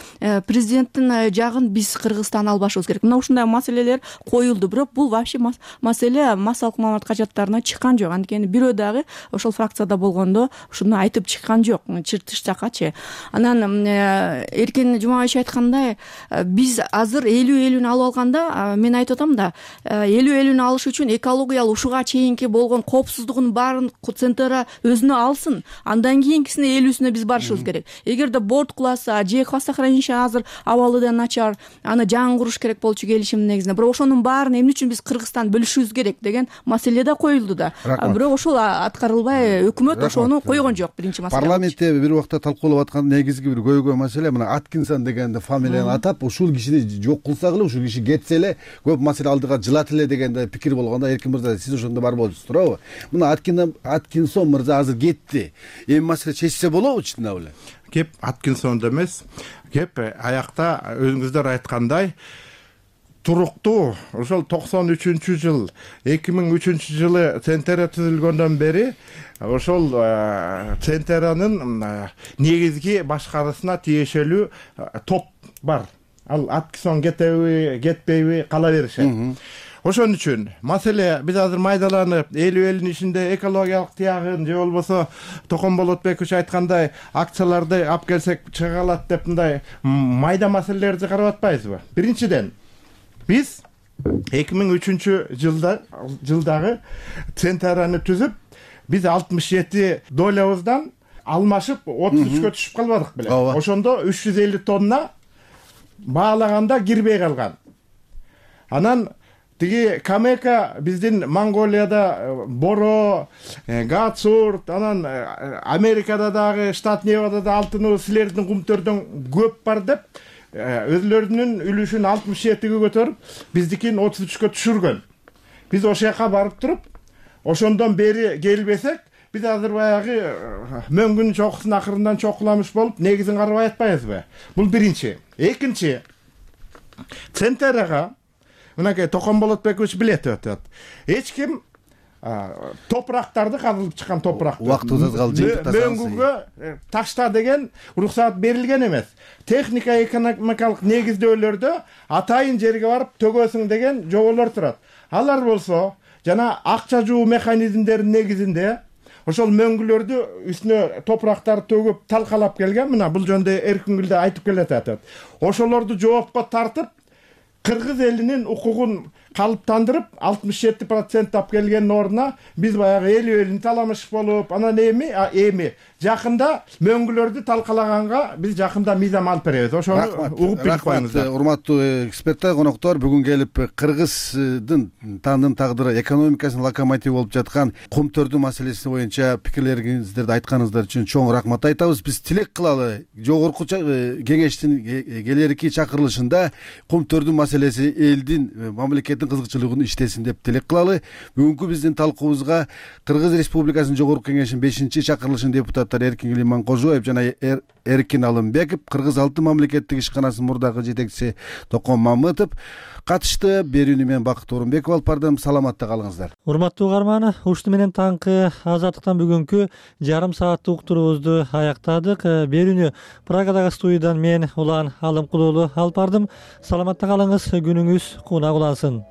президенттин жагын биз Кыргызстан албашыбыз керек? Мына ушундай маселелер коюлду. Бирок бул вообще маселе массалык маалымат кажаттарына чыккан жок. Анткени бирөө дагы ошол фракцияда болгондо ушуну айтып чыккан жок, чыртыш жакачы. Анан Эркин Жумабаевич айткандай, биз азыр 50-50 алып алганда, мен айтып атам да, 50-50 алыш үчүн экологиялык ушуга чейинки болгон коопсуздугун баарын центра өзүнө алсын. Андан кийинкисине 50-сүнө биз барышыбыз керек. Эгерде борт куласа, же хвостохранилище азыр абалы да начар, аны жаңы куруш керек болчу келишимдин негизинде. Бирок ошонун баарын эмне үчүн биз Кыргызстан бөлүшүбүз керек деген маселе да коюлду да. Бирок ошол аткарылбай, өкмөт ошону койгон жок. Биринчи маселе. Парламентте бир убакта талкуулап аткан негизги бир көйгөй маселе мына Аткинсон деген фамилияны атап, ушул кишини жок кылсак эле, ушул киши кетсе эле көп маселе алдыга жылат эле деген пикир болгондо, Эркин мырза, сиз ошондо бар болчусуз, туурабы? Мына Аткинсон мырза азыр кетти. Эми маселе чечсе болобу чындап эле? Кеп Аткинсондо эмес, кеп аякта өзүңүздөр айткандай туруктуу ошол 93-жыл 2003-жылы Центера түзүлгөндөн бери ошол Центеранын негизги башкаруусуна тиешелүү топ бар. Ал Аткинсон кетеби, кетпейби кала беришет. Ошон үчүн маселе биз азыр майдаланып 50-50 ичинде экологиялык тиягын же болбосо Токон Болотбекович айткандай акцияларды алып келсек чыга калат деп мындай майда маселелерди карап атпайбызбы? Биринчиден, биз 2003-жылдагы Центраны түзүп, биз 67 долябыздан алмашып 33-кө түшүп калбадык беле. Ошондо 350 тонна баалаганда кирбей калган. Анан тиги Камека биздин Монголияда боро, гацурт, анан Америкада дагы, штат Невадада алтыны силердин кумтөрдөн көп бар деп өзлөрүнүн үлүшүн 67-ге көтөрүп, биздикин 33-кө түшүргөн. Биз ошол жака барып туруп, ошондон бери келбесек, биз азыр баягы мөңгүн чокусун акырындан чокуламыш болуп, негизин карабай атпайбызбы? Бул биринчи. Экинчи, Центерага мынакей Токон Болотбекович билет өтөт. Эч ким топурактарды казылып чыккан топуракты убактыбыз калды, мөңгүгө ташта деген уруксаат берилген эмес. Техника экономикалык негиздөөлөрдө атайын жерге барып төгөсүң деген жоболор турат. Алар болсо жана акча жуу механизмдеринин негизинде ошол мөңгүлөрдү үстүнө топурактарды төгүп талкалап келген. Мына бул жөнүндө Эркин да айтып келатат. Ошолорду жоопко тартып, кыргыз элинин укугун калыптандырып 67% алып келгендин ордуна биз баягы элүү таламыш болуп анан эми жакында мөңгүлөрдү талкалаганга биз жакында мыйзам алып беребиз. Ошону угуп билип коюңуздар. Урматтуу эксперттер, коноктор, бүгүн келип Кыргыздын тагдыры экономикасынын локомотиви болуп жаткан кум төрдү маселеси боюнча пикирлериңиздерди айтканыңыздар үчүн чоң рахмат айтабыз. Биз тилек кылалы жогорку кеңештин келерки чакырылышында кум төрдү маселеси элдин мамлекеттин кызыкчылыгын иштесин деп тилек кылалы. Бүгүнкү биздин талкуубузга Кыргыз Республикасынын жогорку кеңешинин 5-чакырылышынын депутаттары Эркин Лиманкожоев жана Эркин Алымбеков, Кыргыз Алтын мамлекеттик ишканасынын мурдагы жетекчиси Токон Мамытов катышты. Берүүнү мен Бакыт Орунбеков алып бардым. Саламатта калыңыздар. Урматтуу угарман, ушуну менен таңкы Азаттыктан бүгүнкү жарым сааттык уктуруубузду аяктадык. Берүүнү Прагадагы студиядан мен Улан Алымкулуулу алып бардым. Саламатта калыңыз, күнүңүз кууна улансын.